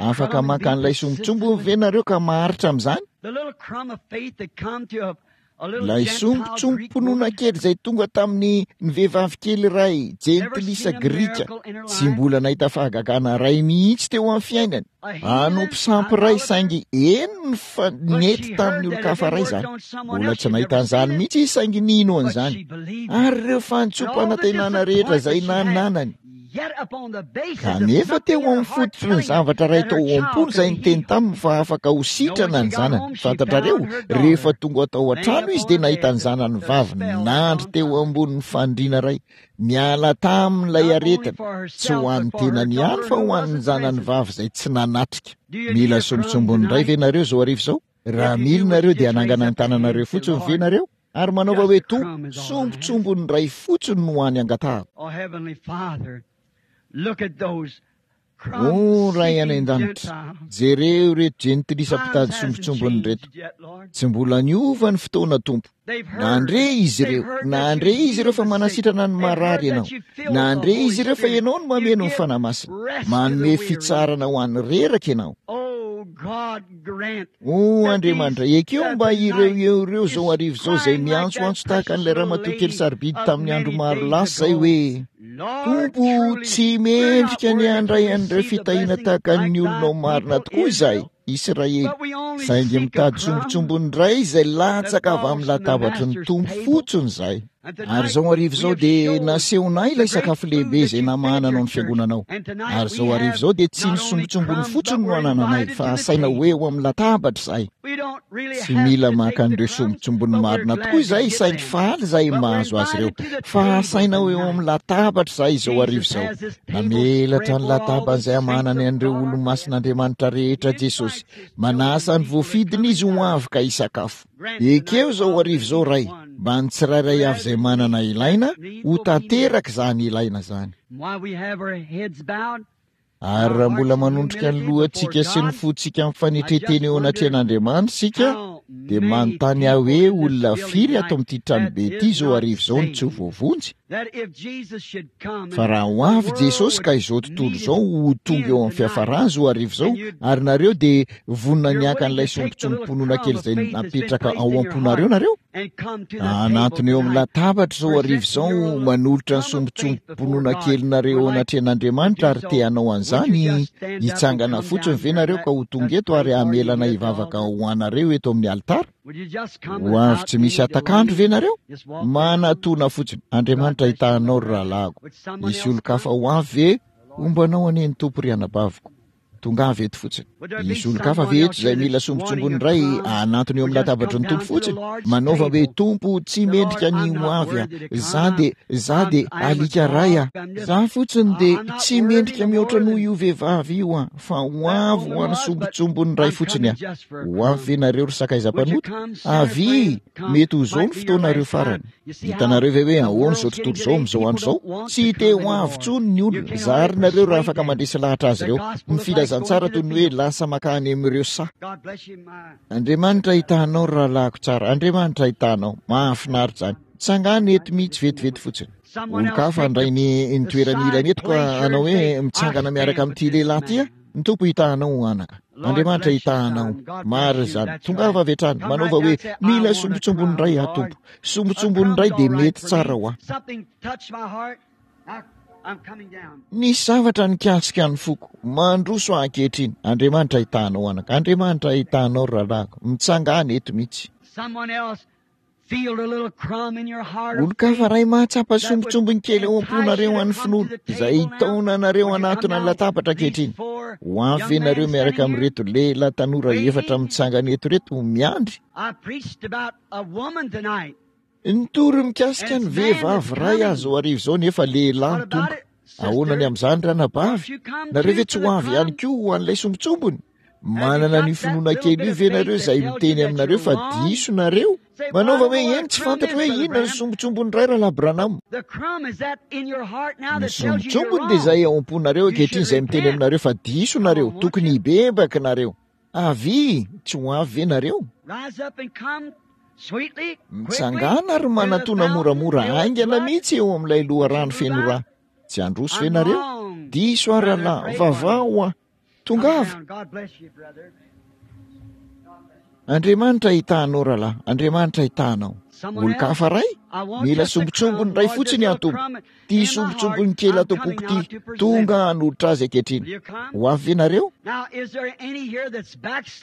A: Afaka maka an'ilay sombintsombiny ve nareo ka maharitra amin'izany? Ilay sombintsombim-pinoana kely izay tonga tamin'ny ny vehivavy kely iray jentilisa grika, tsy mbola nahita fahagagana iray mihitsy teo amin'ny fiainany. Hanompo sampy iray saingy henony fa nety tamin'ny olon-kafa iray izany. Mbola tsy nahita an'izany mihitsy izy saingy nino an'izany. Ary ireo fantsom-panantenana rehetra izay nananany. Kanefa teo amin'ny fototry ny zavatra iray tao am-pony izay niteny taminy fa afaka ho sitrana ny zanany. Fantatrareo, rehefa tonga tao an-trano izy dia nahita ny zanany vavy nandry teo ambonin'ny fandriana iray. Niala tamin'ilay aretina, tsy ho an'ny tenany ihany fa ho an'ny zanany vavy izay tsy nanatrika. Mila sombintsombiny indray ve nareo izao hariva izao? Raha mila nareo dia hanangana ny tananareo fotsiny ve nareo? Ary manaova hoe, Tompo, sombintsombiny iray fotsiny no hany angatahako. O Ray any An-danitra, jereo ireto jentilisa mpitady sombintsombiny ireto. Tsy mbola niova ny fotoana, Tompo. Nandre izy ireo, nandre izy ireo fa manasitrana ny marary Ianao. Nandre izy ireo fa Ianao no mameno ny Fanahy Masina. Manome fitsarana ho an'ny reraka Ianao. O Andriamanitra, ekeo mba ireo eo ireo izao hariva izao izay miantsoantso tahaka an'ilay ramatoa kely sarobidy tamin'ny andro maro lasa izay hoe, Tompo, tsy mendrika ny handray an'ireo fitahiana tahaka ny olonao marina tokoa izahay, Israely, saingy mitady sombintsombiny indray izay latsaka avy amin'ny latabatry ny Tompo fotsiny izahay. Ary izao hariva izao dia nasehonay ilay sakafo lehibe izay namahananao ny fiangonanao. Ary izao hariva izao dia tsy ny sombintsombiny fotsiny no anananay, fa asaina ho eo amin'ny latabatra izahay. Tsy mila maka an'ireo sombintsombiny marina tokoa izahay, saingy faly izahay mahazo azy ireo. Fa asaina ho eo amin'ny latabatra izahay izao hariva izao. Namelatra ny latabany izay amahanany an'ireo olo-masin'Andriamanitra rehetra Jesosy. Manasa ny voafidiny Izy ho avy ka hisakafo. Ekeo izao hariva izao, Ray, mba ny tsirairay avy izay manana ilaina, ho tanteraka izany ilaina izany. Ary raha mbola manondrika ny lohantsika sy ny fontsika amin'ny fanetren-tena eo anatrehan'Andriamanitra isika, dia manontany aho hoe olona firy ato amin'ity tranobe ity izao hariva izao no tsy ho voavonjy? Fa raha ho avy Jesosy ka izao tontolo izao ho tonga eo amin'ny fiafarany izao hariva izao, ary nareo dia vonona ny haka an'ilay sombintsombim-pinoana kely izay napetraka ao am-ponareo nareo? Hanantona eo amin'ny latabatra izao hariva izao manolotra ny sombintsombim-pinoana kelinareo eo anatrehan'Andriamanitra ary te hanao an'izany, hitsangana fotsiny ve nareo ka ho tonga eto ary hamela anay hivavaka ho anareo eto amin'ny alitara? Ho avy tsy misy hatak'andro ve nareo? Manatona fotsiny. Andriamanitra hitaha anao ry rahalahiko. Hisy olon-kafa ho avy ve? Homba anao anie ny Tompo ry anabaviko. Tongava eto fotsiny. Hisy olon-kafa ve eto izay mila sombintsombiny indray hanantona eo amin'ny latabatry ny Tompo fotsiny? Manaova hoe, Tompo, tsy mendrika ny ho avy aho. Izaho dia, izaho dia alika iray aho. Izaho fotsiny dia tsy mendrika mihoatra noho io vehivavy io aho, fa ho avy ho an'ny sombintsombiny iray fotsiny aho. Ho avy ve nareo ry sakaiza mpanota? Avia! Mety ho izao ny fotoanareo farany. Hitanareo ve hoe ahoana izao tontolo izao amin'izao andro izao? Tsy te ho avy intsony ny olona. Zary nareo raha afaka mandresy lahatra azy ireo. Ny filazantsara toy ny hoe lasa mankany amin'ireo saha. Andriamanitra hitaha anao ry rahalahiko tsara. Andriamanitra hitaha anao. Mahafinaritra izany. Tsangano eto mihitsy vetivety fotsiny. Olon-kafa handray ny ny toerany ilany eto ka hanao hoe mitsangana miaraka amin'ity lehilahy ity aho. Ny Tompo hitaha anao, anaka. Andriamanitra hitaha anao. Marina izany. Tongava avy hatrany. Manaova hoe, Mila sombintsombiny iray aho, Tompo. Sombintsombiny iray dia mety tsara ho ahy. Nisy zavatra nikasika ny foko. Mandroso aho ankehitriny. Andriamanitra hitaha anao, anaka. Andriamanitra hitaha anao, ry rahalahiko. Mitsangàna eto mihitsy. Olon-kafa iray mahatsapa sombintsombiny kely ao am-ponareo an'ny finoana, izay hitaona anareo hanatona ny latabatra ankehitriny. Ho avy ve nareo miaraka amin'ireto lehilahy tanora efatra mitsangana eto ireto, miandry? Nitory mikasika ny vehivavy iray aho izao hariva izao nefa lehilahy no tonga. Ahoana ny amin'izany ranabavy? Nareo ve tsy ho avy ihany koa ho an'ilay sombintsombiny? Manana an'io finoana kely io ve nareo izay miteny aminareo fa diso nareo? Manaova hoe eny tsy fantatro hoe inona ny sombintsombiny iray Rahalahy Branham. Ny sombintsombiny dia izay ao am-ponareo ankehitriny izay miteny aminareo fa diso nareo, tokony hibebaka nareo. Avia, tsy ho avy ve nareo? Mitsangàna ary manatona moramora haingana mihitsy eo amin'ilay loharano feno rà. Tsy handroso ve nareo? Diso aho rahalahy, vavaho aho. Tongava! Andriamanitra hitaha anao rahalahy, Andriamanitra hitaha anao. Olon-kafa iray? Mila sombintsombiny iray fotsiny aho Tompo. Ity sombintsombiny kely ato am-poko ity, tonga hanolotra azy ankehitriny. Ho avy ve nareo?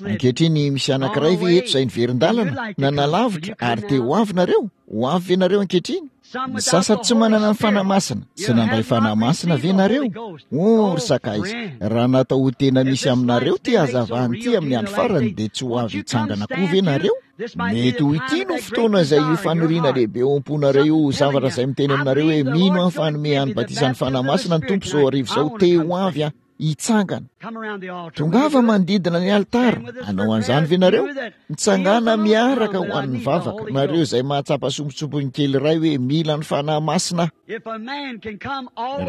A: Ankehitriny misy anankiray ve eto izay niverin-dalana, nanalavitra ary te ho avy nareo? Ho avy ve nareo ankehitriny? Ny sasany tsy manana ny Fanahy Masina. Tsy nandray Fanahy Masina ve nareo? Oh, ry sakaiza, raha natao ho tena misy aminareo ity hazavana ity amin'ny andro farany dia tsy ho avy hitsangana koa ve nareo? Mety ho ity no fotoana izay io faniriana lehibe ao am-ponareo io, zavatra izay miteny aminareo hoe mino aho fa hanome an'ny batisan'ny Fanahy Masina ny Tompo izao hariva izao, te ho avy aho. Hitsangana. Tongava manodidina ny alitara. Hanao an'izany ve nareo? Mitsangàna miaraka ho an'ny vavaka. Nareo izay mahatsapa sombintsombiny kely iray hoe mila ny Fanahy Masina aho.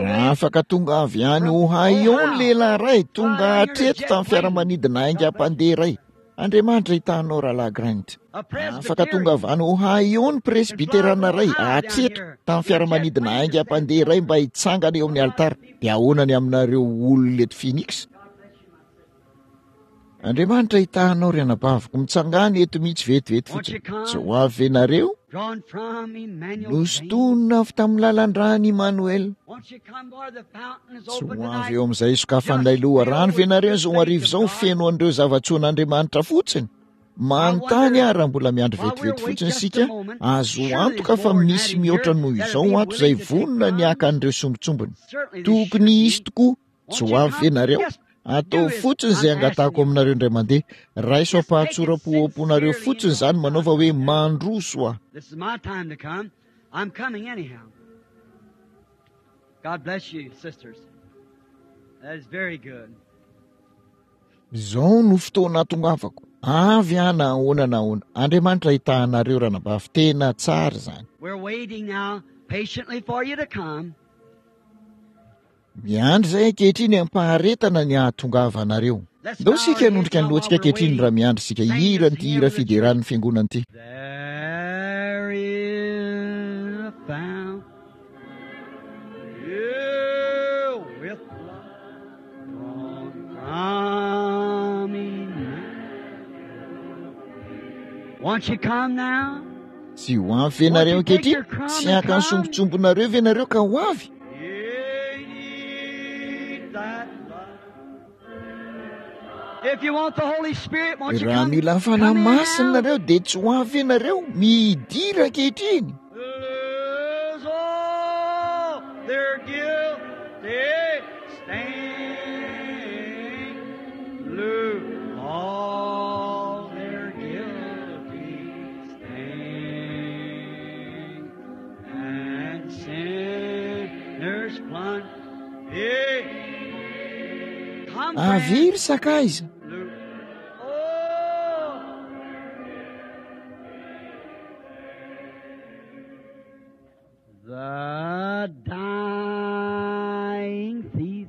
A: Raha afaka tonga avy any Ohio ny lehilahy iray, tonga hatreto tamin'ny fiaramanidina haingam-pandeha iray. Andriamanitra hitaha anao Rahalahy Grant. Afaka tonga avy any Ohio ny presbyterana iray, hatreto, tamin'ny fiaramanidina haingam-pandeha iray mba hitsangana eo amin'ny alitara. Dia ahoana ny aminareo olona eto Phoenix? Andriamanitra hitaha anao ry anabaviko. Mitsangàna eto mihitsy vetivety fotsiny. Tsy ho avy ve nareo? Nosintonina avy tamin'ny lalan-dràn'i Immanuel. Tsy ho avy eo amin'izay sokafan'ilay loharano ve nareo izao hariva izao feno an'ireo zava-tsoan'Andriamanitra fotsiny? Manontany aho raha mbola miandry vetivety fotsiny isika, azo antoka fa misy mihoatra noho izao ato izay vonona ny haka an'ireo sombintsombiny. Tokony hisy tokoa. Tsy ho avy ve nareo? Ataovy fotsiny izay angatahako aminareo indray mandeha. Raiso am-pahatsoram-po ao am-ponareo fotsiny izany manaova hoe mandroso aho.
B: God bless you, sisters. That is very good.
A: Izao no fotoana atongavako. Avy aho na ahoana na ahoana. Andriamanitra hitaha anareo ranabavy. Tena tsara izany.
B: We're waiting now patiently for you to come.
A: Miandry izay ankehitriny am-paharetana ny hahatongavanareo. Ndao isika hanondrika ny lohantsika ankehitriny raha miandry isika hihira an'ity hira fideran'ny fiangonana ity.
B: There is a fountain with blood drawn from Emmanuel. Won't you come now?
A: Tsy ho avy ve nareo ankehitriny? Tsy haka ny sombintsombinareo ve nareo ka ho avy? Raha mila ny Fanahy Masina nareo dia tsy ho avy ve nareo? Midira ankehitriny. Avia ry sakaiza.
B: The dying thief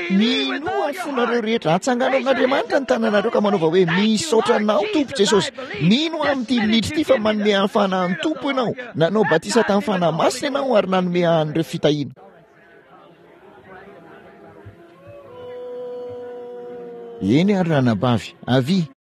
A: Minoa amin'ny fonareo rehetra. Atsangano amin'Andriamanitra ny tananareo ka manaova hoe, Misaotra Anao, Tompo Jesosy. Mino aho amin'ity minitra ity fa manome ahy ny Fanahin'ny Tompo Ianao. Nanao batisa tamin'ny Fanahy Masina Ianao ary nanome ahy an'ireo fitahiana. Eny ary, ranabavy. Avia.